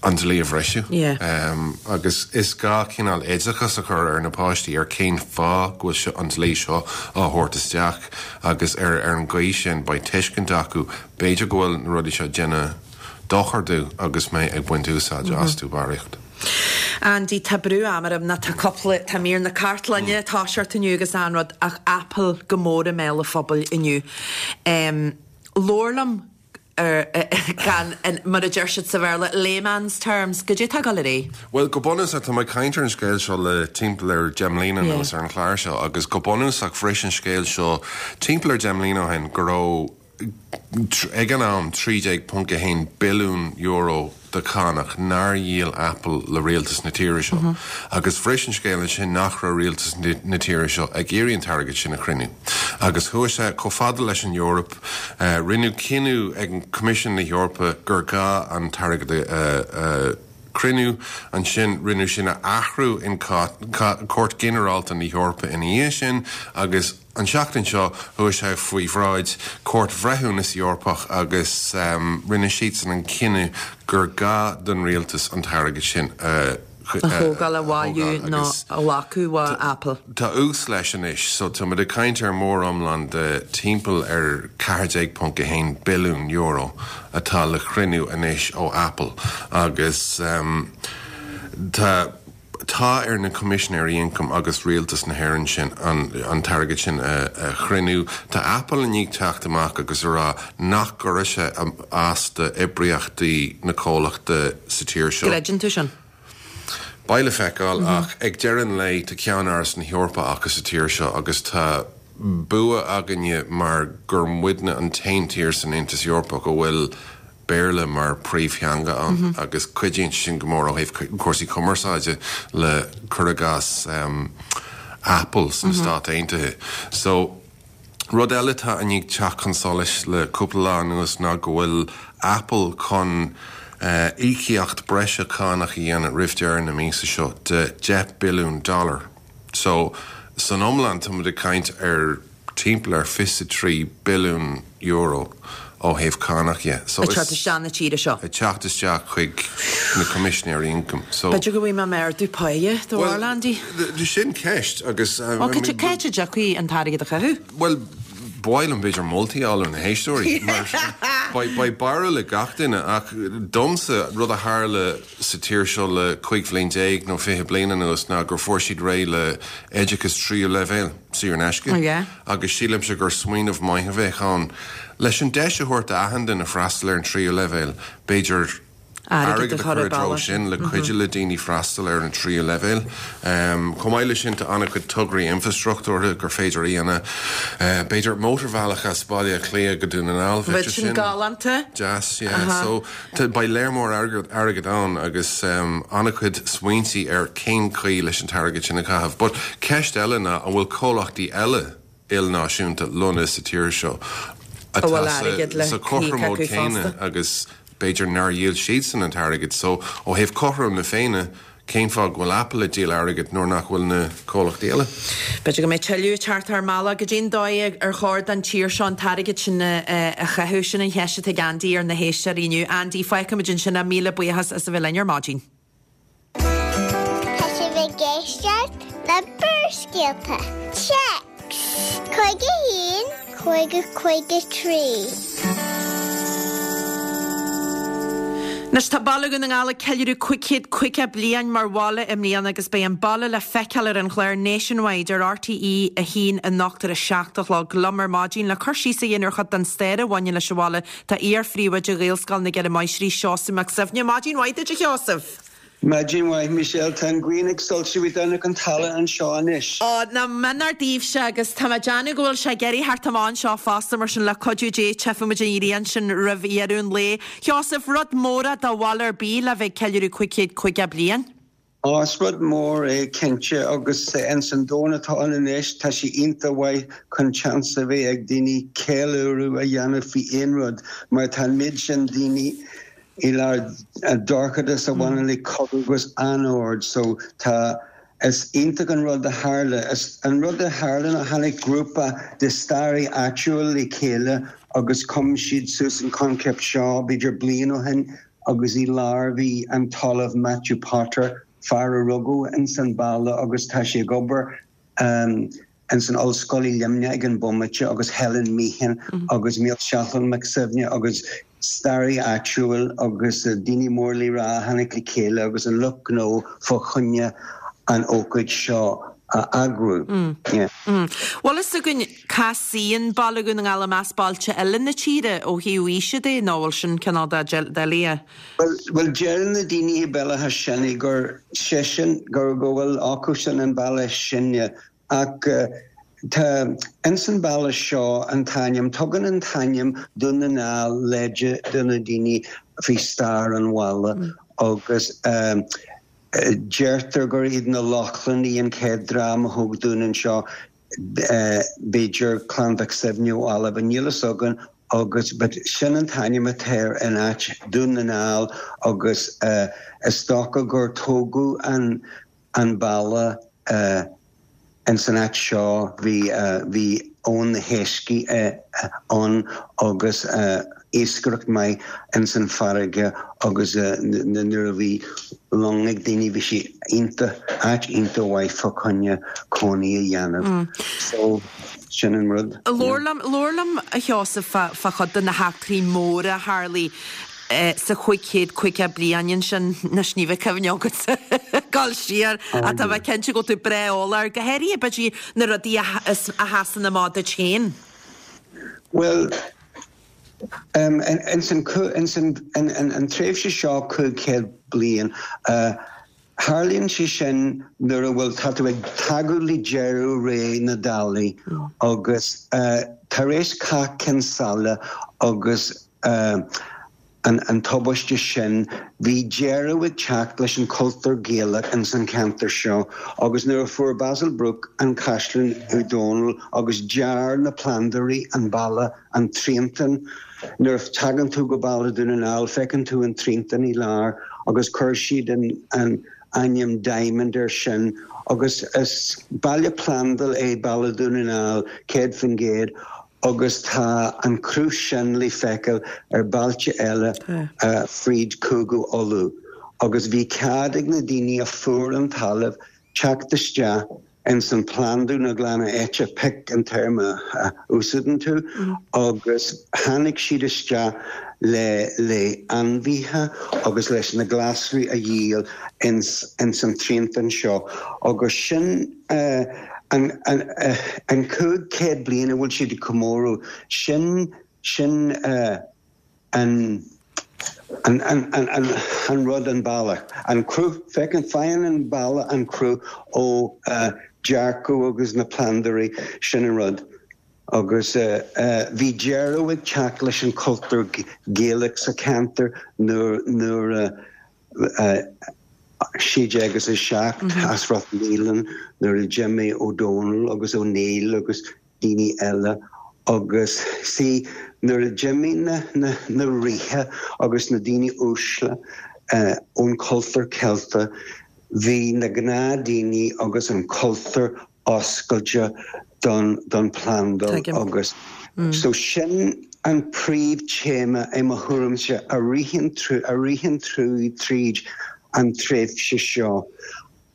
an dlí a bhriseadh. Yeah. Um, agus is gá cineál oideachas a chur ar na páistí ar cén fáth go bhfuil an dlí seo á thabhairt isteach agus ar ar an gcaoi sin beidh tuiscint acu b'fhéidir go bhfuil na rudaí seo déanamh dochar domh agus mé ag baint úsáid mm -hmm. astu barraíocht. Andy tá brú ama orm ná tá cúpla tá mír na cartlainne mm. tá seart inniu agus an rud ach Apple go mór i mbéal an phobail inniu. Um, Labhair liom ar gan mar a deir siad sa Bhéarla layman's terms, goidé atá ag dul ar aghaidh? Well go bunúsach tá mé ag caint ar an scéal seo le timpeall ar deich mbliana anuas ar an chlár seo agus go bunúsach bhris an scéal seo timpeall ar deich mbliana ó shin go raibh ag an am trí déag ponc a haon billiún euro de chánach nár dhíol Apple le rialtas na tíre seo. Mm -hmm. Agus bhris an scéal sin nach raibh rialtas na tíre seo ag iarraidh an t-airgead sin a chruinniú. Agus chuaigh sé chomh fada leis an Eoraip uh, rinneadh cinneadh ag an Coimisiún na hEorpa gur gá an t-airgead uh, uh, chruinniú ansin rinneadh sin a athrú in Cúirt Ghinearálta na hEorpa ina dhiaidh sin agus an seachtain seo chuaigh sé faoi bhráid Cúirt Bhreithiúnas Eorpach agus um, rinne siadsan an cinneadh gur gá don rialtas an t-airgead sin uh, a thógáil a bhailiú nó a ghlacadh ó Apple. Tá ús leis anois, so tá muid ag caint ar mór-iomlán de timpeall ar ceathair déag ponc a haon billiún euro atá le cruinniú anois ó Apple agus um, tá tá ar na Coimisinéirí Ioncaim agus rialtas na hÉireann sin an, an t-airgead sin a, a chruinniú. Tá Apple i ndiaidh teacht amach agus a rá nach gcuirfidh sé as d'oibríochtaí na comhlachta sa tír seo. Gcreideann tú sin? Beidh le feiceáil mm -hmm. ach ag deireadh an lae tá ceannáras na hEorpa acu sa tír seo agus tá bua againne mar gur muidne an t-aon tír san Aontas Eorpach go bhfuil Béarla mar príomhtheanga ann mm -hmm. agus cuidíonn sin go mór ó thaobh cúrsaí cumarsáide le cur i gcás um, Apple sna mm -hmm. Stáit Aontaithe. So rud eile atá i ndiaidh teacht chun solais le cúpla lá anuas ná go bhfuil Apple chun uh, íocaíocht breise cánach a dhéanamh roimh deireadh na míosa seo de deich billiún dollar. So san iomlán tá muid ag caint ar timpeall ar fiche trí billiún euro ó thaobh cánach dhe. So ag teacht isteach na tíre seo. Ag teacht isteach chuig na Coimisinéirí Ioncaim. So B'fhéidir go bhfuil mé ardú páighe do Andy? Sin ceist agus Ó cá háit a dtiocfaidh an t-airgead a chaitheamh? Well, b'fhéidir b'fhéidir moltaí á na héisteoirí Beidh barúil ag gach duine ach domsa rud a tharla sa tír seo le cúig bhliain déag nó fiche bliain anuas ná gur fuair siad réidh le oideachas tríú leibhéal saor in aisce. Oh, yeah. Agus sílimse gur smaoineamh maith a bheith ann leis an deis a thabhairt d'achan duine freastal ar an tríú leibhéal, b'fhéidir Airgead airgead a a chur chur ar i dtreo bealach. sin le cuidiú le daoine freastal ar an tríú leibhéal. Um, Chomh maith leis sin tá an-chuid tograí infrastruchtúrtha gur féidir a dhéanamh. Uh, b'fhéidir mótarbhealach as Baile Átha Cliath go Dún na nGall Bheadh sin galánta. Deas, yeah. So beidh léar mór airgead airgead ann agus um, an-chuid smaointe ar cén chaoi leis an t-airgead sin a chaitheamh. But ceist eile ná an bhfuil comhlachtaí eile ilnáisiúnta lonnaithe sa tír seo A bhfuil airgead le sa chothromóid híoc acu céanna fosta. agus b'fhéidir nár dhíol siadsan an t-airgead, so ó thaobh cothrom na Féinne cén fáth go bhfuil Apple ag díol airgead nuair nach bhfuil na comhlachtaí eile. B'fhéidir go mbeidh tuilleadh teacht ar mala go dtí'n dóigh ar chóir don tír seo an t-airgead sin a a chaitheamh sin an cheist atá ag Andy ar na héisteoirí inniu. Andy fágfaimid ansin míle buíochas as a bheith linn ar maidin. Tá sibh ag éisteacht le Barrscéalta. Téacs Cúig a haon, cúig a cúig a trí. Anois tá Baile Dhún na nGall ag ceiliúradh cúig chéad caoga bliain mar bhaile i mbliana agus beidh an baile le feiceáil ar an chlár Nationwide ar RTE a haon anocht ar a seacht a chlog liom ar maidin le cur síos a dhéanamh ar chuid den stair a bhaineann leis an bhaile tá iar-phríomhoide Ghaelscoil na gCeithre Máistrí Seosamh Mac Suibhne. Maidin mhaith duit a Sheosaimh. Maidin mhaith Michelle tá an ghrian ag soilsiú an an talamh anseo anois. Ó na menar daoibhse agus tá mé ag déanamh go bhfuil sé ag éirí thart amach anseo fosta mar sin le cuidiú Dé tchífimid an ghrian sin roimh dheireadh an lae. Sheosaimh rud mór do bhaile ar bith le bheith ceiliúradh cúig chéad caoga bliain. Á is rud mór é cinnte agus in san domhan atá ann anois tá sé iontach mhaith chun chance a bheith ag daoine ceiliúradh a dhéanamh faoi aon rud mar tá méid sin daoine i lár dorchadas a bhaineann le cogadh agus anord so tá is iontach an rud a tharla is an rud a tharla a tháinig grúpa de staraithe áitiúil le chéile agus chum siad suas an concept seo b'fhéidir bliain ó shin agus i lár bhí an tOllamh Matthew Potter fear a rugadh in san baile agus tá sé ag obair um, in san ollscoil i Luimneach ag an bomaite agus Helen Meehan mm -hmm. agus Maolsheachlainn Mac Suibhne agus staraí áitiúil agus uh, daoine mór le rá tháinig le chéile agus an lucht gnó fá choinne an ócáid seo a eagrú. Mm. Yeah. Mm. Bhfuil fhios againn cá suíonn Baile Dhún na nGall i measc bailte eile na tíre ó thaobh aoise de nó bhfuil sin cineál doiligh. Well, well deireann na daoine belatha sinna gur sé sin gur go bhfuil acu sin an baile sine ach uh, Tá ins an baile seo an t-ainm tugann an t-ainm Dún na nGall leide do na daoine faoi stair an bhaile mm. agus um, deirtear gur iad na Lochlannaigh an chéad dream a thóg dún anseo uh, b'fhéidir Clann Mhic Suibhne ó Albain níl fhios againn agus but sin an t-ainm atá in áit Dún na nGall agus uh, is dócha gur tógadh an an baile uh, in san áit seo bhí uh, bhí ón na héisc uh, ann agus uh, iascaireacht maith in san farraige agus uh, nuair a bhí long ag daoine bhí sí iontach áit iontach mhaith fá choinne cónaí a dhéanamh. Mm. So sin an rud. Labhair liom a Sheosaimh fá chuid de na heachtraí móra a tharla eh, sa chúig chéad caoga bliain sin na sníomh cuimhne agat dul siar a tá bheith cinnte go tú breá eolach go háirithe b'fhéidir na rudaí a a sheasann amach duit féin. Well, um, in, in san, in san, in, in, an tréimhse seo cúig chéad bliain, uh, Tharlaíonn sé sin nuair a bhfuil tá tú ag tagadh le deireadh ré na Dálaí agus uh, tar éis Cath Cionn tSáile agus uh, an, an tubaiste sin bhí deireadh ag teacht leis an cultúr Gaelach in san ceantar seo agus nuair a fuair Basil Brooke an Caisleán Uí Dónaill agus dear na plandóirí an baile an triantán nuair a tagann tú go baile Dún na nGall feiceann tú an triantán i lár agus chuir siad an, an ainm Diamond ar sin agus is baile plandaí é baile Dún na nGall céad faoin gcéad agus tá an cruth sin le feiceáil ar bailte eile uh, fríd Cúige Uladh. Agus bhí cead ag na daoine a fuair an talamh teacht isteach ins an plandú na glanadh áite, pick an téarma a úsáideann tú, agus tháinig siad isteach le le ainmhithe agus leis na glasraí a dhíol ins ins an triantán seo agus sin an an an cúig chéad bliain a bhfuil siad ag comóradh sin sin an an an an an an rud an bealach an cruth feiceann faigheann an baile an cruth ó dearcadh agus na plandóirí sin an rud agus bhí deireadh ag teacht leis an cultúr Gaelach sa cheantar nuair nuair a sé déag agus a seacht as Ráth Mealtain nuair a d'imigh Ó Dónaill agus Ó Néill agus daoine eile agus see nuair a d'imigh na na na ríthe agus na daoine uaisle ón cultúr Ceilteach bhí na gnáthdhaoine agus an cultúr oscailte don don phlandáil agus so sin an príomh-téama i mo thuairimse a ritheann a ritheann tríd an tréimhse seo.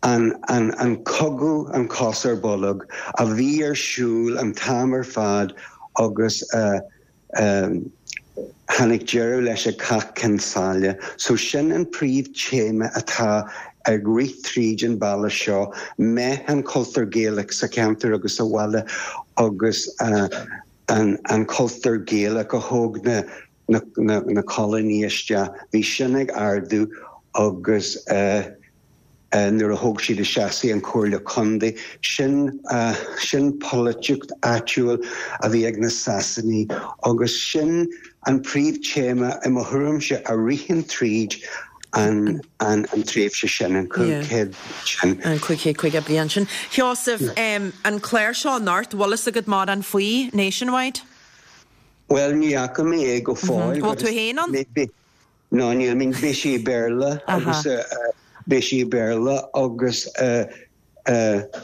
an an an cogadh an cos ar bolg a bhí ar siúl an t-am ar fad agus uh, um, tháinig deireadh leis ag Cath Cionn tSáile. So sin an príomh-téama atá ag rith tríd an baile seo, meath an cultúr Gaelach sa cheantar agus sa bhaile agus uh, an, an cultúr Gaelach a thóg na, na, na, na coilínigh isteach. Bhí sin ag ardú agus uh, nuair a thóg siad isteach an Comhairle Contae sin sin polaitíocht áitiúil a bhí ag na Sasanaigh agus sin an príomh-téama i mo thuairimse a ritheann tríd an an an tréimhse sin an cúig chéad sin. An cúig chéad caoga bliain sin. Sheosamh, an clár seo anocht, bhfuil fhios agat mórán faoi Nationwide? Well ní fhaca mé é go fóill. Bhfuil tú féin ann? No ní I mean beidh sé i Béarla agus beidh sé i Béarla agus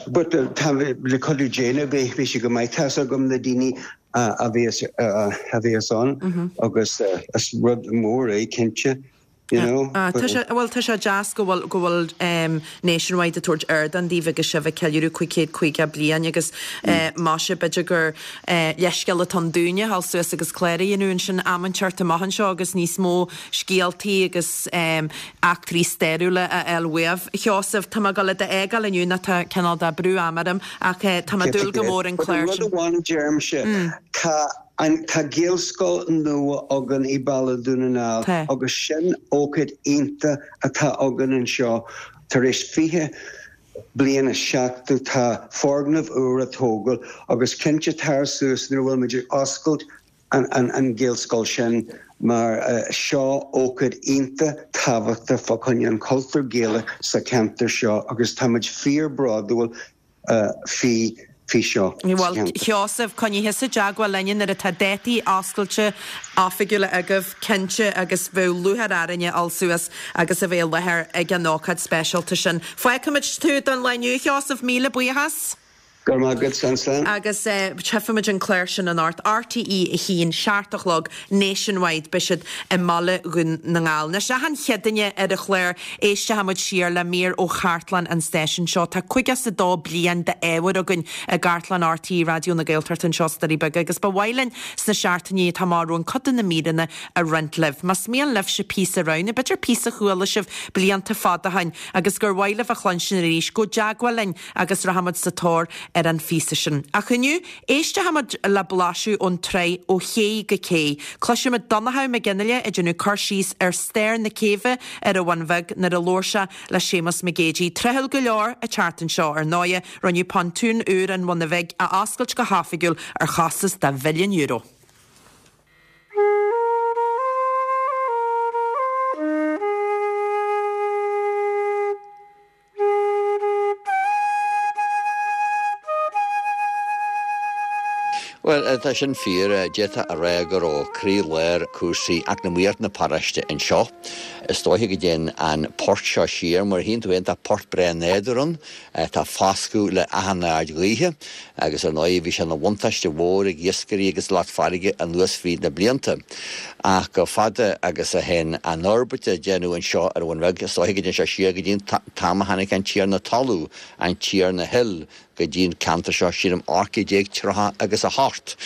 but tá le cuidiú Dé beidh beidh sé go maith tá's agam na daoine a bheas a bheas ann agus is rud mór é cinnte. You know? Ah, tá sé bhuel tá sé deas go bhfuil go bhfuil um, Nationwide ag tabhairt ardán daoibh agus sibh ag ceiliúradh cúig chéad caoga bliain agus uh, más ea b'fhéidir gur uh, leithscéal atá ann dúinne a ghabháil suas agus clár a dhéanamh ansin am inteacht amach anseo agus níos mó scéaltaí agus um, eachtraí stairiúla a fháil uaibh. Sheosamh tá mé ag gabháil a d'fhágáil inniu nó tá cineál de brú ama orm ach uh, tá mé ag dúil go mór an clár Rud amháin a deirimse tá an tá Gaelscoil nua againn i Baile Dhún na nGall Tá. agus sin ócáid iontach atá againn anseo tar éis fiche bliain is seachtó tá foirgneamh úr á tógáil agus cinnte tar suas nuair a bhfuil muid ag oscailt an, an, an Gaelscoil sin mar uh, seo ócáid iontach tábhachtach fá choinne an cultúr Gaelach sa cheantar seo agus táimid fíorbhródúil uh, faoi faoi seo. Well Sheosamh coinnigh i dteagmháil linn nuair atá dátaí oscailte oifigiúla agaibh cinnte agus bheadh lúcháir orainne a ghabháil suas agus a bheith i láthair ag an ócáid speisialta sin. Fágfaimid tú don lá inniu Sheosamh míle buíochas? Gur maith agat san slán. Agus uh, tchífimid an clár sin anocht RTÉ a haon seacht a chlog Nationwide beidh siad i mBaile Dhún na nGall. Anois achan Chéadaoine ar an chlár éistfimid siar le mír ó chartlann an stáisiúin seo Tá caoga is a dó bliain d'ábhar againn i gcartlann RTÉ Raidió na Gaeltachta anseo sna Doirí Beaga agus ba mhaith linn sna seachtainí atá romhainn cuid de na míreanna a roinnt libh. Más mian libhse píosa a roghnú, b'fhéidir píosa a chuala sibh blianta fada ó shin agus gur mhaith libh a chluinstin arís gabh i dteagmháil linn agus rachaimid sa tóir ar an phíosa sin. Ach inniu éistfimid le blaiseadh ón tsraith ó ché go cé. Cloisfimid Donnchadh Mac Fhionnghaile ag déanamh cur síos ar stair na céibhe ar an Bhun Bheag nuair a labhair sé le Séamus Mac Géidigh. Tráthúil go leor an tseachtain seo ar ndóigh rinneadh pontún úr an Bhuna Bhig a oscailt go hoifigiúil ar chostas de mhilliún euro. Well tá sin fíor d'fhéadfá a rá go raibh croílár cúrsaí eacnamaíocht na paróiste anseo. Is dóiche go dtéann an port seo siar, mar a chíonn tú féin tá port breá nádúrtha ann, tá foscadh le achan aird ghaoithe agus ar ndóigh bhí sé ina bhuntáiste mhór ag iascairí agus lucht farraige anuas fríd na blianta. Ach chomh fada agus a théann an fhorbairt a déanadh anseo ar an Bhun Bheag, is dóiche go dtéann sé siar go dtí an t-am a tháinig an Tiarna Talún, an Tiarna Hill, go dtí an ceantar seo, sílim ocht gcéad déag tríocha agus a hocht,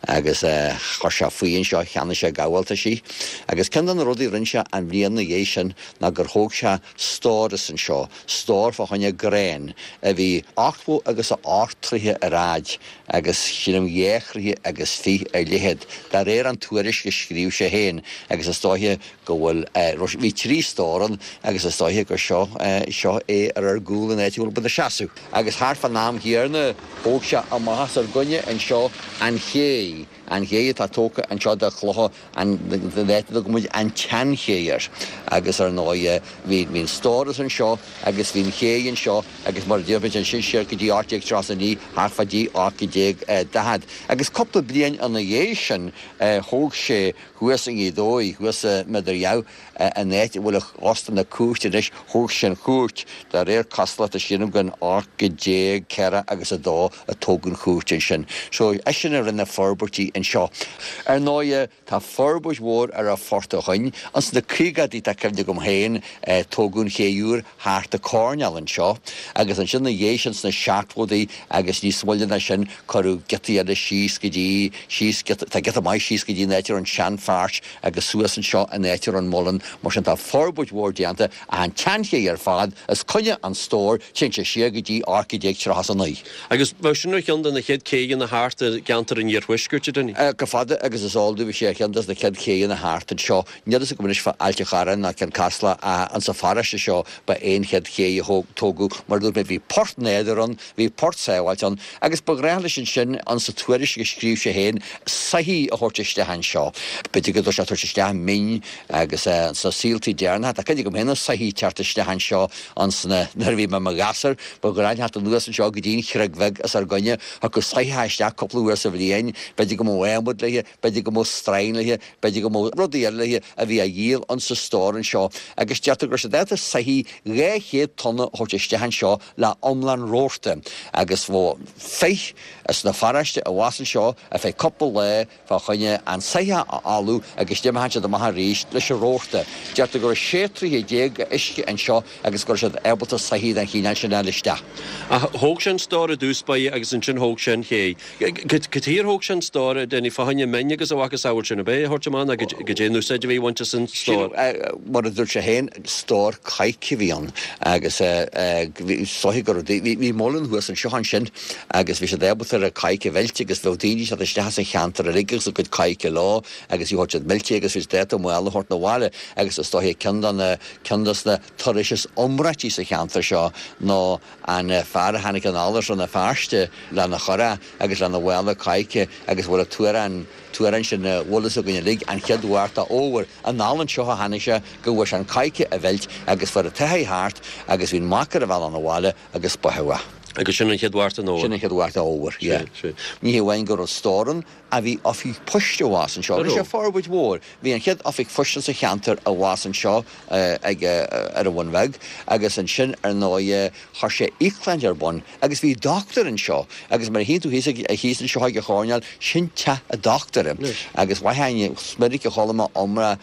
agus chuir sé faoi anseo, cheannaigh sé gabháltaisí. Agus ceann de na rudaí a rinne sé an bhliain ina dhiaidh sin ná gur thóg sé stóras anseo, stór fá choinne gráin, a bhí ochtó agus a ocht troithe ar fhaid agus sílim dhá throighe agus fiche ar leithead, de réir an tuairisc a scríobh sé féin, agus is dóiche go bhfuil, bhí trí stór ann agus is dóiche gur seo, seo é ar ár gcúl an áit a bhfuil muid ina seasamh. Agus thart fán am chéanna thóg sé amach os ár gcoinne anseo an ché, an ché atá tógtha anseo de chlocha an áit a dtugann muid an tSeanché air. Agus ar ndóigh bhí, bhí an stóras anseo agus bhí an ché anseo agus mar a deir muid ansin siar go dtí ocht déag tríocha a naoi, thart fá dtí ocht déag daichead. Agus cúpla bliain ina dhiaidh sin thóg sé thuas i nGaoth Dobhair, thuas i Midar an áit a bhfuil óstán na cúirte anois, thóg sé an chúirt, de réir cosúlachta sílim gur in ocht déag ceathracha agus a dó a tógadh an chúirt ansin. So eisean a rinne forbairtí anseo. Ar ndóighe, tá forbairt mhór ar an Phort ó shoin. Ins na caogaidí, tá cuimhne agam féin, tógadh an ché úr thart an coirnéal anseo agus ansin ina dhiaidh sin sna seachtóidí agus níos moille ná sin cuireadh giotaí eile síos go dtí, síos giota, tá giota maith síos go dtí an áit a raibh an seanpháirc agus suas anseo an áit a raibh an muileann. Mar sin tá forbairt mhór déanta ach an tseanché ar fad os coinne an stóir, téann sé siar go dtí ocht déag tríocha is a naoi. Agus bheadh sin ar cheann de na chéad chéidheanna thart i gceantar an iarthuaiscirt, a Dinny? Chomh fada agus is eol domh bhí sé ar cheann de na chéad chéidheanna thart anseo. Níl fhios agam anois fá Ailt a' Chorráin ná Cionn Caslach ach insa pharóiste seo ba é an chéad ché a tógadh. Mar a dúirt mé bhí port nádúrtha ann, bhí port sábháilte ann agus ba ghnách leis ansin, insa tuairisc a scríobh sé féin, soithí a thabhairt isteach anseo. B'fhéidir go raibh sé ag tabhairt isteach min agus sna saoltaí deireanacha. Tá cuimhne agam féin ar soithí ag teacht isteach anseo ansan nuair a bhí mé i mo ghasúr. Ba ghnách teacht anuas anseo go dtí an Chreag Bheag os ár gcoinne. Thiocfadh soitheach isteach cúpla uair sa bhliain. B'fhéidir go mbeadh adhmad léi, b'fhéidir go mbeadh stroighin léi, b'fhéidir go mbeadh rudaí eile léi a bhí á dhíol insa stór anseo. Agus deirtear go raibh siad ábalta soithí dhá chéad tonna a thabhairt isteach anseo le iomlán rabharta. Agus bheadh fir as na pharóiste abhus anseo ar feadh cúpla lá fá choinne an soitheach a fholmhú agus d'imeodh siad amach arís leis an rabharta. Deirtear go raibh sé troighe déag uisce anseo agus go raibh siad ábalta soithí den chineál sin a fháil isteach. Ach thóg sé an stór i dtús báire agus ansin thóg sé an ché. Cad chuige ar thóg sé an stór, a Denny, fá choinne min agus a mhacasamhail sin, ab é a thabhairt amach nó goidé an úsáid a bhí á bhaint as an stór? Mar a dúirt sé féin, stór coirce a bhí ann agus is dóiche go raibh, bhí muileann thuas anseo ansin agus bhí siad ábalta ar an coirce a mheilt agus bheadh daoine ag teacht isteach as an cheantar uilig agus a gcuid coirce leo agus bhí siad meilte agus bhí siad ábalta mála a thabhairt 'na bhaile agus is dóiche ceann de na, ceann de na turais is iomráití sa cheantar seo ná an fear a tháinig anall as Rann na Feirste lena churach agus lena mhála coirce agus bhfuil an t-amhrán, t-amhrán sin a bhfuil fhios againn uilig, an chéad Mhárta Fhómhair. Anall anseo a tháinig sé go bhfuair sé an coirce a mheilt agus fuair an t-átha thart agus bhí an mac ar a bhealach 'na bhaile agus báthadh é. Agus sin an chéad Mhárta an Fhómhair. Sin an chéad Mhárta Fhómhair, yeah. Sea, sea. Ní hamháin go raibh stór ann ach bhí oifig poist abhus anseo. Rinne sé forbairt mhór. Bhí an chéad oifig phoist sa cheantar abhus anseo ag ar an Bhun Bheag agus ansin ar ndóigh chuir sé íoclann ar bun agus bhí dochtúir anseo agus mar a chíonn tú thíos thíos anseo ag an choirnéal, sin teach an dochtúra. Agus mhaith is minic a chuala mé iomrá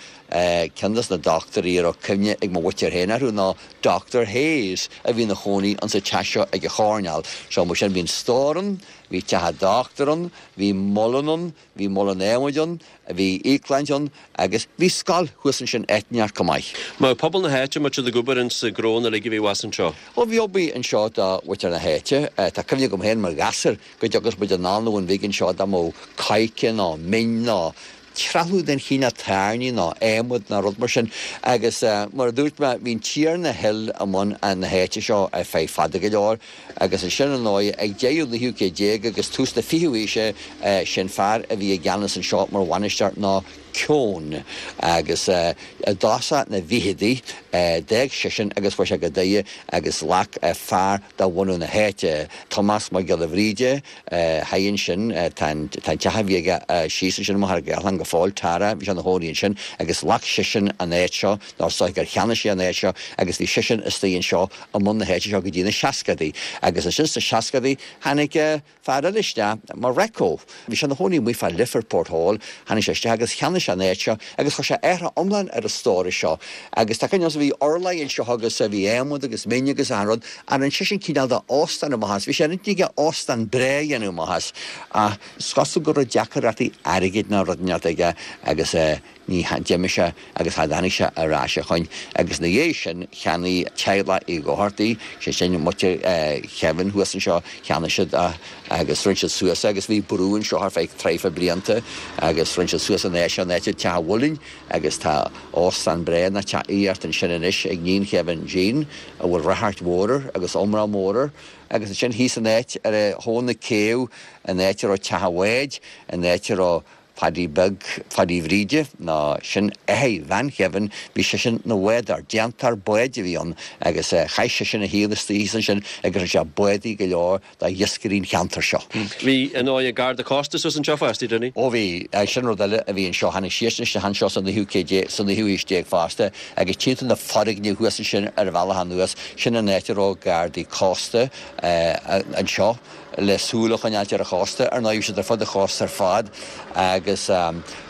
ceann des na dochtúirí a raibh cuimhne ag mo mhuintir féin orthu ná Doctor Hayes a bhí ina chónaí insa teach seo ag an choirnéal. So mar sin bhí an stór ann, bhí teach an dochtúir ann, bhí muileann ann, bhí muileann adhmaid ann, bhí íoclann ann agus bhí scoil thuas ansin áit inteacht chomh maith. Mar pobal na háite, an mbeadh siad ag obair insa ghnó uilig a bhí abhus anseo? Ó bhí obair anseo do mhuintir na háite. Tá cuimhne agam féin mar ghasúr go dtiocfadh muid anall 'na Bhun Bhig anseo dá mbeadh coirce nó min nó trealamh den chineál tairní nó adhmad nó rud mar sin agus mar a dúirt mé bhí an Tiarna Hill i mbun na háite seo ar feadh fada go leor agus ansin ar ndóigh ag deireadh an naoú céad déag agus tús na fichiú haoise sin fear a bhí i gceannas anseo mar bhainisteoir ná Keown agus i dtosach na bhficheadaí d'fhág seisean agus chuaigh sé go Doire agus ghlac fear de bhunadh na háite, Tomás Mac Giolla Bhríde, thiar ansin. Tá an teach a bhí aige síos ansin i Machaire Gathlán go go fóill, Tara, bhí sé ina chónaí ansin agus ghlac seisean an áit seo, nó is dóigh gur cheannaigh sé an áit seo agus bhí seisean istigh anseo i mbun na háite seo go dtí na seascadaí. Agus ansin sna seascadaí tháinig fear eile isteach mar Recco. Bhí sé ina chónaí amuigh fá Lifford Hall, tháinig sé isteach agus cheannaigh sé an áit seo agus chuir sé athrú iomlán ar an stóras seo. Agus tá cuimhne agam bhí urláir anseo agus bhí adhmad agus min agus achan rud, ach rinne seisean cineál de óstán amach as. Bhí sé ar intinn aige óstán breá a dhéanamh amach as. Ach is cosúil go raibh deacrachtaí airgid nó rud inteacht aige agus ní d'imigh sé agus cha dtáinig sé ar ais ó shoin. Agus ina dhiaidh sin cheannaigh teaghlach Uí Dhochartaigh, sé sin muintir Kevin thuas anseo, cheannaigh siad é agus rinne siad suas é agus bhí brú anseo ar feadh tríocha blianta agus rinne siad suas an áit seo, an áit Teach an Mhuilinn agus tá óstán breá nó teach aíochta ansin anois ag iníon Kevin, Jean, a bhfuil ráchairt mhór air agus iomrá mór air. Agus ansin thíos an áit ar thóin na céibhe, an áit a raibh teach an bháid, an áit a raibh Padaí Beag Phadaí Bhríde, nó sin athair bhean Kevin, bhí seisean ina bhádóir, déantóir báid a bhí ann agus chaith seisean a shaol istigh thíos ansin agus rinne sé bádaí go leor do iascairí an cheantair seo. Bhí, ar ndóigh, Garda Cósta suas anseo fosta, Dinny? Ó bhí, sin rud eile a bhí anseo, tháinig siadsan isteach anseo sa naoú céad déag, sa naoú haois déag fosta agus tchíonn tú na foirgnimh thuas ansin ar an bhealach anuas, sin an áit a raibh Gardaí Cósta anseo. le súil a choinneáilt ar an chósta. Ar ndóigh, bhí siad ar fud an chósta ar fad agus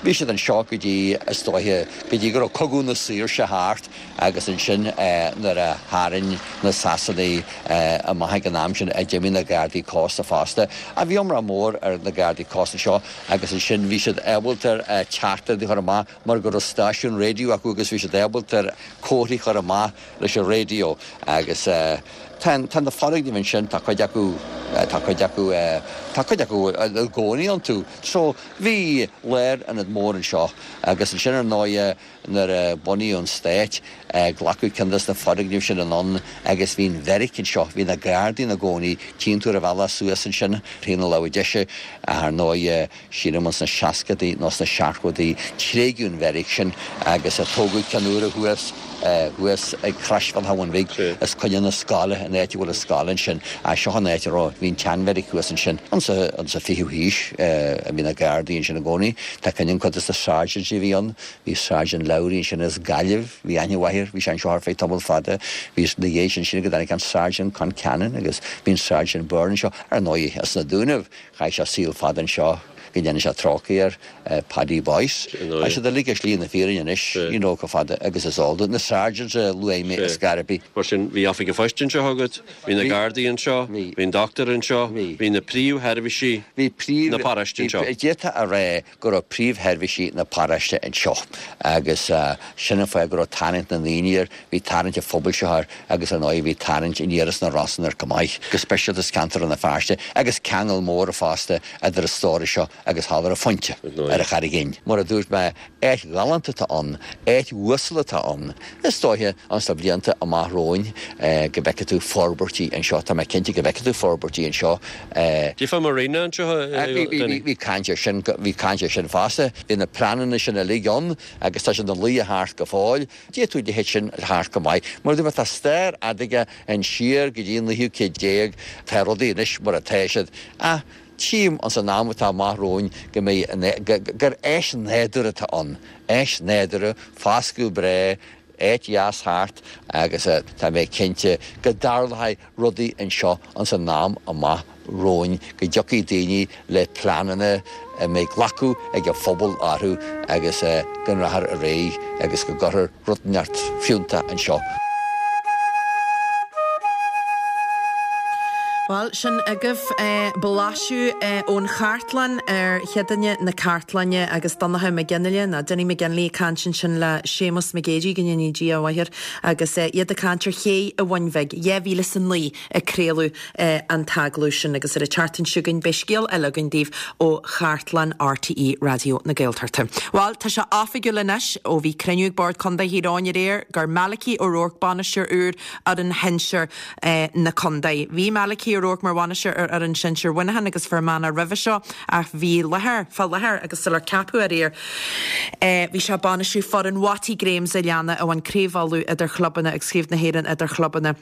bhí siad anseo go dtí, is dóiche, go dtí go raibh Cogadh na Saoirse thart agus ansin nuair a tharraing na Sasanaigh amach ag an am sin a d'imigh na Gardaí Cósta fosta. Ach bhí iomrá mór ar na Gardaí Cósta anseo agus ansin bhí siad ábalta teachtaireachtaí a chur amach mar go raibh stáisiún raidió acu agus bhí siad ábalta comharthaí a chur amach leis an raidió agus Tá, tá na foirgnimh ansin, tá cuid acu, tá cuid acu, tá cuid acu i gcónaí iontu. So, bhí lárionad mór anseo agus ansin ar ndóighe nuair a bunaíodh an Stát, glacadh ceann des na foirgnimh sin anonn agus bhí an bheairic anseo, bhí na Gardaí ina gcónaí, tchíonn tú ar an bhealach suas ansin, taobh na láimhe deise, ach ar ndóighe sílim ins na seascadaí nó sna seachtóidí tréigeadh an bheairic sin agus tógadh ceann úr thuas. thuas ag Croisbhealach an Bhun Bhig os coinne na scoile, an áit a bhfuil an scoil ansin. Seo an áit a raibh, bhí an tseanbheairic thuas ansin. Insa, insa fichiú haois a bhí na Gardaí ansin i gcónaí. Tá cuimhne agam cuid des na sergeants a bhí ann, bhí Sergeant Lowry ansin as Gaillimh, bhí aithne mhaith air, bhí sé anseo ar feadh tamall fada. Bhí, ina dhiaidh sin, sin go dtáinig an Sergeant Concannon agus bhí an Sergeant Byrne anseo. Ar ndóigh, as na Dúnaibh, chaith sé saol fada anseo. go ndéana sé trócaire air, Paddy Boyce. Tá siad uilig ar shlí na fírinne anois, you know, chomh fada agus is eol dúinn. Na sergeants a luaigh mé is Gardaí. Mar sin, bhí oifig an phoist anseo agat, bhí na Gardaí anseo, bhí an dochtúir anseo, bhí na príomhsheirbhísí na paróiste anseo. D'fhéadfá a rá go raibh príomhsheirbhísí na paróiste anseo agus sin an fáth go raibh tarraingt na ndaoine air, bhí tarraingt an phobail seo air agus ar ndóigh bhí tarraingt aniar as na Rosann air chomh maith, go speisialta as ceantar Rann na Feirste agus ceangal mór fosta idir an stóras seo agus thall ar an Phointe, ar an Charraig Fhinn. Mar a dúirt mé, áit ghalánta atá ann, áit uasal atá ann. Is dóiche, ins na blianta amach romhainn, go bhfeicfidh tú forbairtí anseo. Tá mé cinnte go bhfeicfidh tú forbairtí anseo. D'fhéadfá marina anseo a Dinny? Bhí caint air sin, bhí caint air sin fosta. Bhí na pleananna sin uilig ann agus tá siad ina luí thart go fóill. D'fhéadfadh a leithéid sin a theacht go maith. Mar a dúirt mé, tá stair fhada aige siar go dtí an naoú céad déag. Tá rudaí anois mar atá siad. Ach tchím ins an am atá amach romhainn go mbeidh, gur áis nádúrtha atá ann. Áis nádúrtha, foscadh breá, áit dheas thart agus tá mé cinnte go dtarlóidh rudaí anseo ins an am amach romhainn, go dtiocfaidh daoine le pleananna a mbeidh glacadh ag an phobal orthu agus go rachfar ar aghaidh agus go gcuirfear rud inteacht fiúntach anseo. Bhuel, sin agaibh blaiseadh ón chartlann ar Chéadaoine na Cartlainne agus Donncha Mac Fhionnghaile, nó Dinny McGinley ag caint ansin le Séamus Mac Géidigh, go ndéanaí Dia a mhaith air, agus iad ag caint ar ché an Bhun Bhig, dhá mhíle is a naoi a craoladh an t-agallamh sin agus ar an tseachtain seo chugainn beidh scéal eile againn daoibh ó chartlann RTÉ Raidió na Gaeltachta. Bhuel, tá sé oifigiúil anois ó bhí cruinniú ag Bord Contae Thír Eoghain aréir gur Malachy O'Rourke bainisteoir úr fhoireann shinsir na contae. Bhí Malachy O'Rourke mar bhainisteoir ar fhoireann sinsir Mhuineacháin agus Fear Manach roimhe seo ach bhí láthair fá láthair agus sular ceapadh aréir bhí sé ag bainistiú foireann Watty Grahams a Leanna a bhain Craobh Uladh idir chlubanna agus Craobh na hÉireann idir chlubanna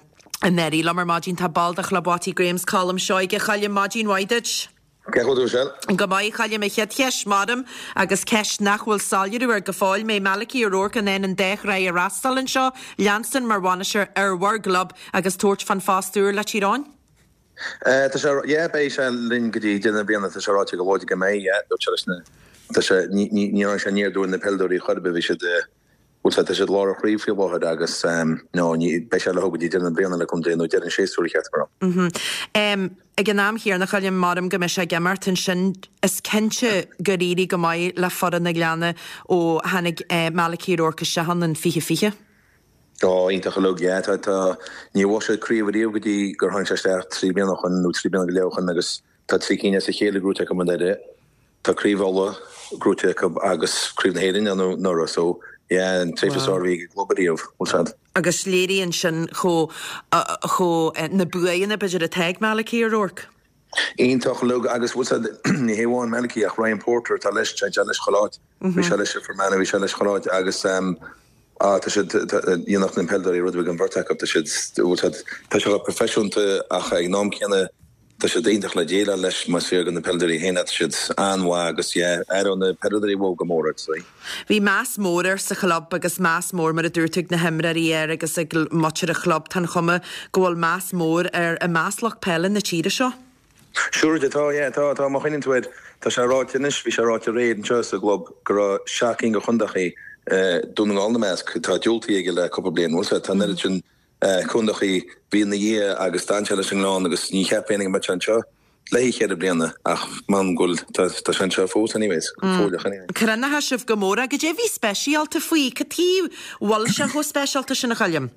anuraidh. Liom ar maidin tá ball de Chlub Watty Grahams, Colm Seoige. A Choilm, maidin mhaith duit. Cén chaoi a bhfuil tú, Michelle? Go maith, a Choilm, an chéad cheist maram agus ceist nach bhfuil soiléiriú air go fóill, mbeidh Malachy O'Rourke in ann an dá shraith a fhreastal anseo, leanstan mar bhainisteoir ar bhur gclub agus tabhairt fán phost úr le Tír Eoghain? Tá sé, yeah, beidh sé linn go dtí deireadh na bliana, tá sé ráite go láidir go mbeidh, yeah, dúirt sé leis na, tá sé, ní, ní, ní raibh sé aniar aduaidh ar na peileadóirí chor ar bith, bhí siad, bhuel, tá siad lár an chraobh faoi láthair agus no, ní, beidh sé leo go dtí deireadh na bliana le contae nó deireadh an séasúir a cheart go raibh. Mhm. Ag an am chéanna, a Choilm, maram go mbeidh sé ag imirt ansin, is cinnte gur éirigh go maith le foireann na Gleanna ó tháinig Malachy O'Rourke isteach ann in fiche fiche. Ó, iontach uilig, yeah, tá, tá, níor bhuaigh siad craobh ariamh go dtí gur tháinig sé isteach trí bliana ó shoin nó trí bliana go leith ó shoin agus tá trí cinn as a chéile gnóite acu anuraidh. Tá Craobh Uladh gnóite acu agus Craobh na hÉireann anuraidh so yeah an tréimhse is fearr a bhí ag an gclub ariamh, bhfuil siad. Agus léiríonn sin chomh, chomh, na buanna b'fhéidir atá ag Malachy O'Rourke. Iontach uilig agus bhfuil siad, ní hé amháin Malachy ach Ryan Porter atá leis, tá sé leis chuile áit. Bhí sé leis i Fermanagh, bhí sé leis chuile áit agus ah tá siad, dhéanfadh na peileadóirí rud ar bith don bheirt acu, tá siad, bhfuil siad, tá sé chomh proifisiúnta ach ag an am céanna Tá siad iontach le déileáil leis, más fíor do na peileadóirí féin, tá siad an-mhaith agus yeah, aireoidh na peileadóirí uathu go mór, I'd say. Bhí meas mór air sa chlub agus meas mór, mar a dúirt tú, ag na himreoirí air agus ag muintir an chlub. Tá an chuma go bhfuil meas mór air i measc lucht peile na tíre seo. Sure, tá, yeah, tá, tá, má chuimhníonn tú air, tá sé ráite anois, bhí sé ráite aréir anseo sa gclub go raibh seacht gcinn de chontaethaí, Dún na nGall ina measc, atá diúltaithe aige le cúpla bliain, bhfuil 's agat, tá an oiread sin Contaethaí, bhí ina dhiaidh agus d'fhan sé leis an nGleann agus ní cheap éinne go mbeadh sé anseo le haghaidh cheithre bliana ach man go bhfuil, tá tá sé anseo fós anyways, go fóilleach anyway. Cronaithe sibh go mór é. Goidé a bhí speisialta faoi? Cad chuige a bhfuil sé chomh speisialta sin a Choilm?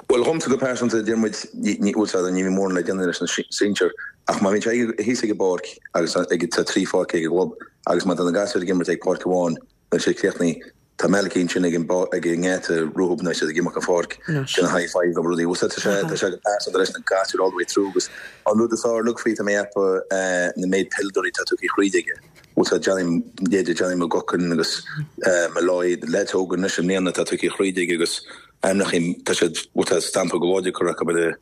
Bhuel dhomsa go pearsanta deir muid, ní ní bhfuil sé ní bhíonn mórán le déanamh leis na sinsir ach má bhíonn sé thíos ag an bpáirc agus ag tá trí pháirc ag an gclub agus má tá na gasúir ag imirt ag páirc amháin níl sé críochnaithe Tá Malachy ansin ag an ag an ngeata rompu nuair atá siad ag imeacht an pháirc, déanamh high five agus rudaí. Bhuel, tá sé tá sé go pearsanta leis na gasúir all the way through agus an rud is fearr uilig faoi tá mé ag ceapadh na méid peileadóirí atá tugtha thríd aige. Bhuel, tá Johnny leithéidí Johnny McGuckin agus Molloy, leaids óga anois i mbliana atá tugtha thríd aige agus ainmneacha tá siad bhuel tá stampa go láidir curtha acu ar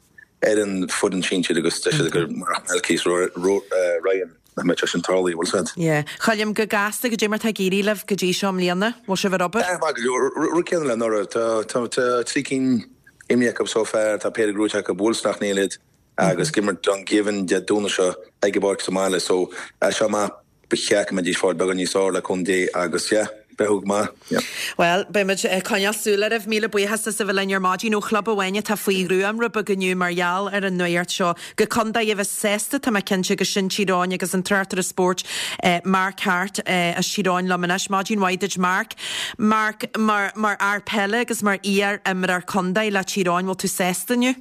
ar an foireann sinsir agus deir siad gur murach Malachy is Ryan nach mbeadh sé sin tarlaithe, bhfuil 's agat. Yeah. Choilm, go gasta, goidé mar tá ag éirí libh go dtí seo i mbliana? Bhfuil sibh ar obair? Eh, maith go leor. Rud céanna le anuraidh. Tá, tá, tá trí cinn imrithe acu so far, tá péire gnóite acu, bhuail Sneachta Néill iad agus ag imirt Dungiven Dé Domhnaigh seo ag an bpáirc sa mbaile so as seo amach ba cheart go mbeidís fáil beagán níos fearr le cúnamh Dé agus yeah, breathnú go maith, yeah. Bhuel, beidh muid ag coinneáil súil oraibh. Míle buíochas as a bheith linn ar maidin ó chlub amháin atá faoi ghruaim rud beag inniu mar gheall ar an nuacht seo go contae a bheas sásta, tá mé cinnte, agus sin Tír Eoghain agus an tráchtaire spóirt Mark Harte as Tír Eoghain liom anois. Maidin mhaith duit Mark. Mark, mar mar fhear peile agus mar iar-imreoir contae le Tír Eoghain, bhfuil tú sásta inniu?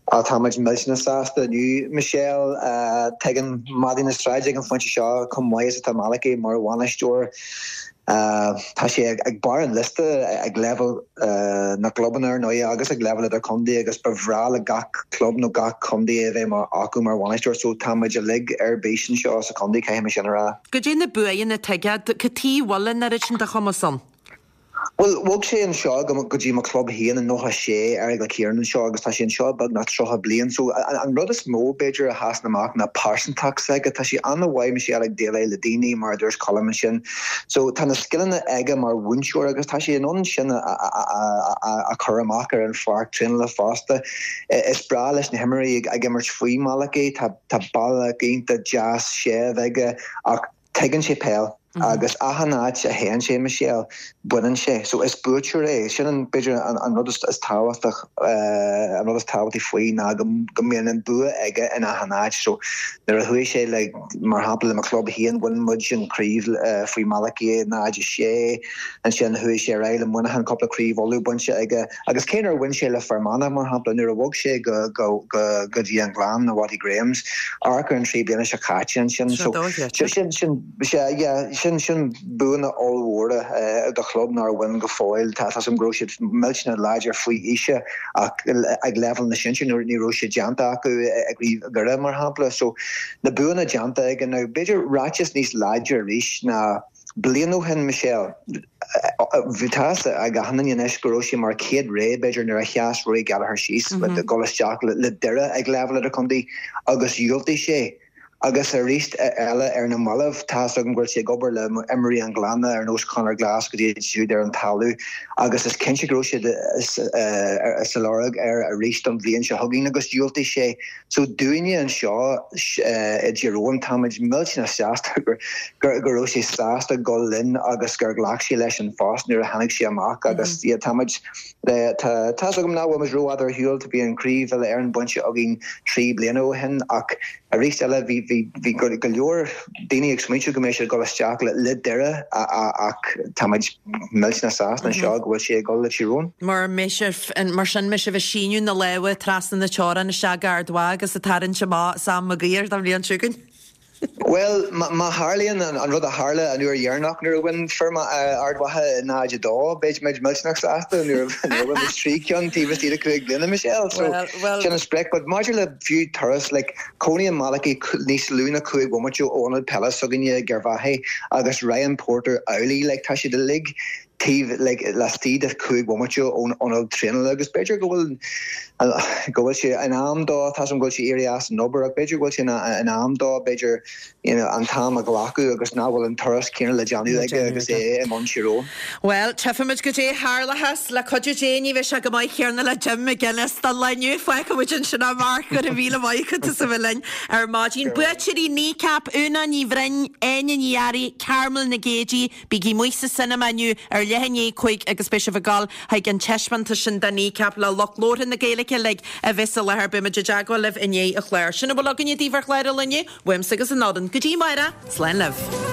Á, tá muid millteanach sásta inniu, Michelle. Tuigeann madaí na sráide ag an phointe seo chomh maith is atá Malachy mar bhainisteoir. Tá sé ag barr an liosta ag leibhéal na gclubanna ar ndóigh agus ag leibhéal idirchontae agus ba bhreá le gach club nó gach contae é a bheith acu mar bhainisteoir so tá muid uilig ar bís anseo sa chontae, caithfidh mé sin a rá. Goidé na buanna atá aige? Cad chuige a bhfuil an oiread sin de chumas ann? Bhuel, bhog sé anseo go dtí mo chlub féin i nócha a sé, d'éirigh le Ciarán anseo agus tá sé anseo beagnach tríocha bliain. So, an rud is mó, b'fhéidir, a sheasann amach ná pearsantacht s'aige. Tá sé an-mhaith, Michelle, ag déileáil le daoine, mar a dúirt Colm ansin. So, tá na scileanna aige mar mhúinteoir agus tá sé in ann sin a chur amach ar an pháirc traenála fosta. Is breá leis na himreoirí ag imirt faoi Malachy. Tá bealach iontach deas séimh aige ach tuigeann sé peil. Agus achan áit a théann sé, Michelle, baineann sé. So is buaiteoir é. Sin an, b'fhéidir, an rud is tábhachtach, an rud is tábhachtaí faoi ná go mbíonn an bua aige in achan áit. So nuair a chuaigh sé le, mar shampla, le mo chlub féin, bhain muid an chraobh faoi Malachy i náid a sé. Ansin chuaigh sé ar aghaidh le Muineachán, cúpla craobh Uladh bainte aige. Agus cé nár bhain sé le Fear Manach, mar shampla, nuair a bhog sé go, go, go, go dtí an Gleann, na Watty Grahams, amharc ar an trí bliana seo caite ansin. So sin, sin, sea, yeah, sin, sin buanna ollmhóra do chlub nár bhain go fóill. Tá a fhios agam go raibh siad millteanach láidir faoi aois ach ag leibhéal na sinsear ní raibh sé déanta acu i gCraobh Dhoire, mar shampla. So na buanna déanta aige. Now b'fhéidir ráiteas níos láidre arís ná bliain ó shin, Michelle, bhí tá a fhios ag achan duine anois go raibh sé mar chéad rogha b'fhéidir nuair a sheas Rory Gallagher síos le dul isteach le Doire ag leibhéal idirchontae agus dhiúltaigh sé. Agus arís eile ar na mallaibh, tá's agam go bhfuil sé ag obair le imreoirí an Ghleanna ar nós Conor Glass go dtí siúd ar an talamh agus is cinnte go raibh siad sa lorg air arís don bhliain seo chugainn agus dhiúltaigh sé. So dúinne anseo i dTír Eoghain táimid millteanach sásta go raibh sé sásta dul linn agus gur ghlac sé leis an phost nuair a tháinig sé amach agus yeah táimid tá tá's agam nach bhfuil muid rófhada ar shiúl, bhí an Craobh Uile-Éireann bainte againn trí bliana ó shin ach arís eile bhí bhí bhí go leor daoine ag smaointiú go mbeidh siad ag dul isteach le le Doire ach táimid millteanach sásta anseo go bhfuil sé ag dul le Tír Eoghain. Mar mbeidh sibh mar sin mbeidh sibh ag síneadh na lámha trasna na teorann isteach go Ard Mhacha agus ag tarraingt amach Sam Maguire don bhliain seo chugainn. Bhuel, má tharlaíonn an rud a tharla an uair dheireanach nuair a bhain fir Ard Mhacha i náid a dó, beidh muid millteanach sásta nuair a bhain muid trí cheann taobh istigh de cúig bliana, Michelle. So, sin an sprioc. But maidir le fiú turas, like, cónaíonn Malachy níos lú ná cúig bhomaite ó ionad peile s'againne i gCerrvaghy agus Ryan Porter amhlaidh, like, tá siad uilig taobh like laistigh de cúig bhomaite ón ionad traenála agus b'fhéidir go bhfuil go bhfuil sé in am dó, tá 's agam go bhfuil sé éirithe as an obair ach b'fhéidir go bhfuil sé in am dó b'fhéidir you know an t-am a ghlacadh agus nach bhfuil an turas céanna le déanamh aige agus é i mbun Tír Eoghain. Bhuel, tchífimid goidé tharlóchas le cuidiú Dé ní bheidh sé go maith céanna le Jim McGuinness don lá inniu. Fágfaidh muid ansin é Mark, go raibh míle maith agat as a bheith linn ar maidin. Buaiteoirí Kneecap, Úna Ní Bhroin, Áine Ní Fhearraigh, Carmel Nic Géidigh, Bígí amuigh sa cinema inniu ar leath i ndiaidh a cúig agus beidh sibh ag dul chuig an taispeántas sin de Kneecap le lucht labhartha na Gaeilge uilig a bheith sa láthair. Beidh muid i dteagmháil libh i ndiaidh an chláir. Sin a bhfuil againne daoibh ar chlár an lae inniu, uaimse agus an fhoireann. Go dtí amárach, slán libh.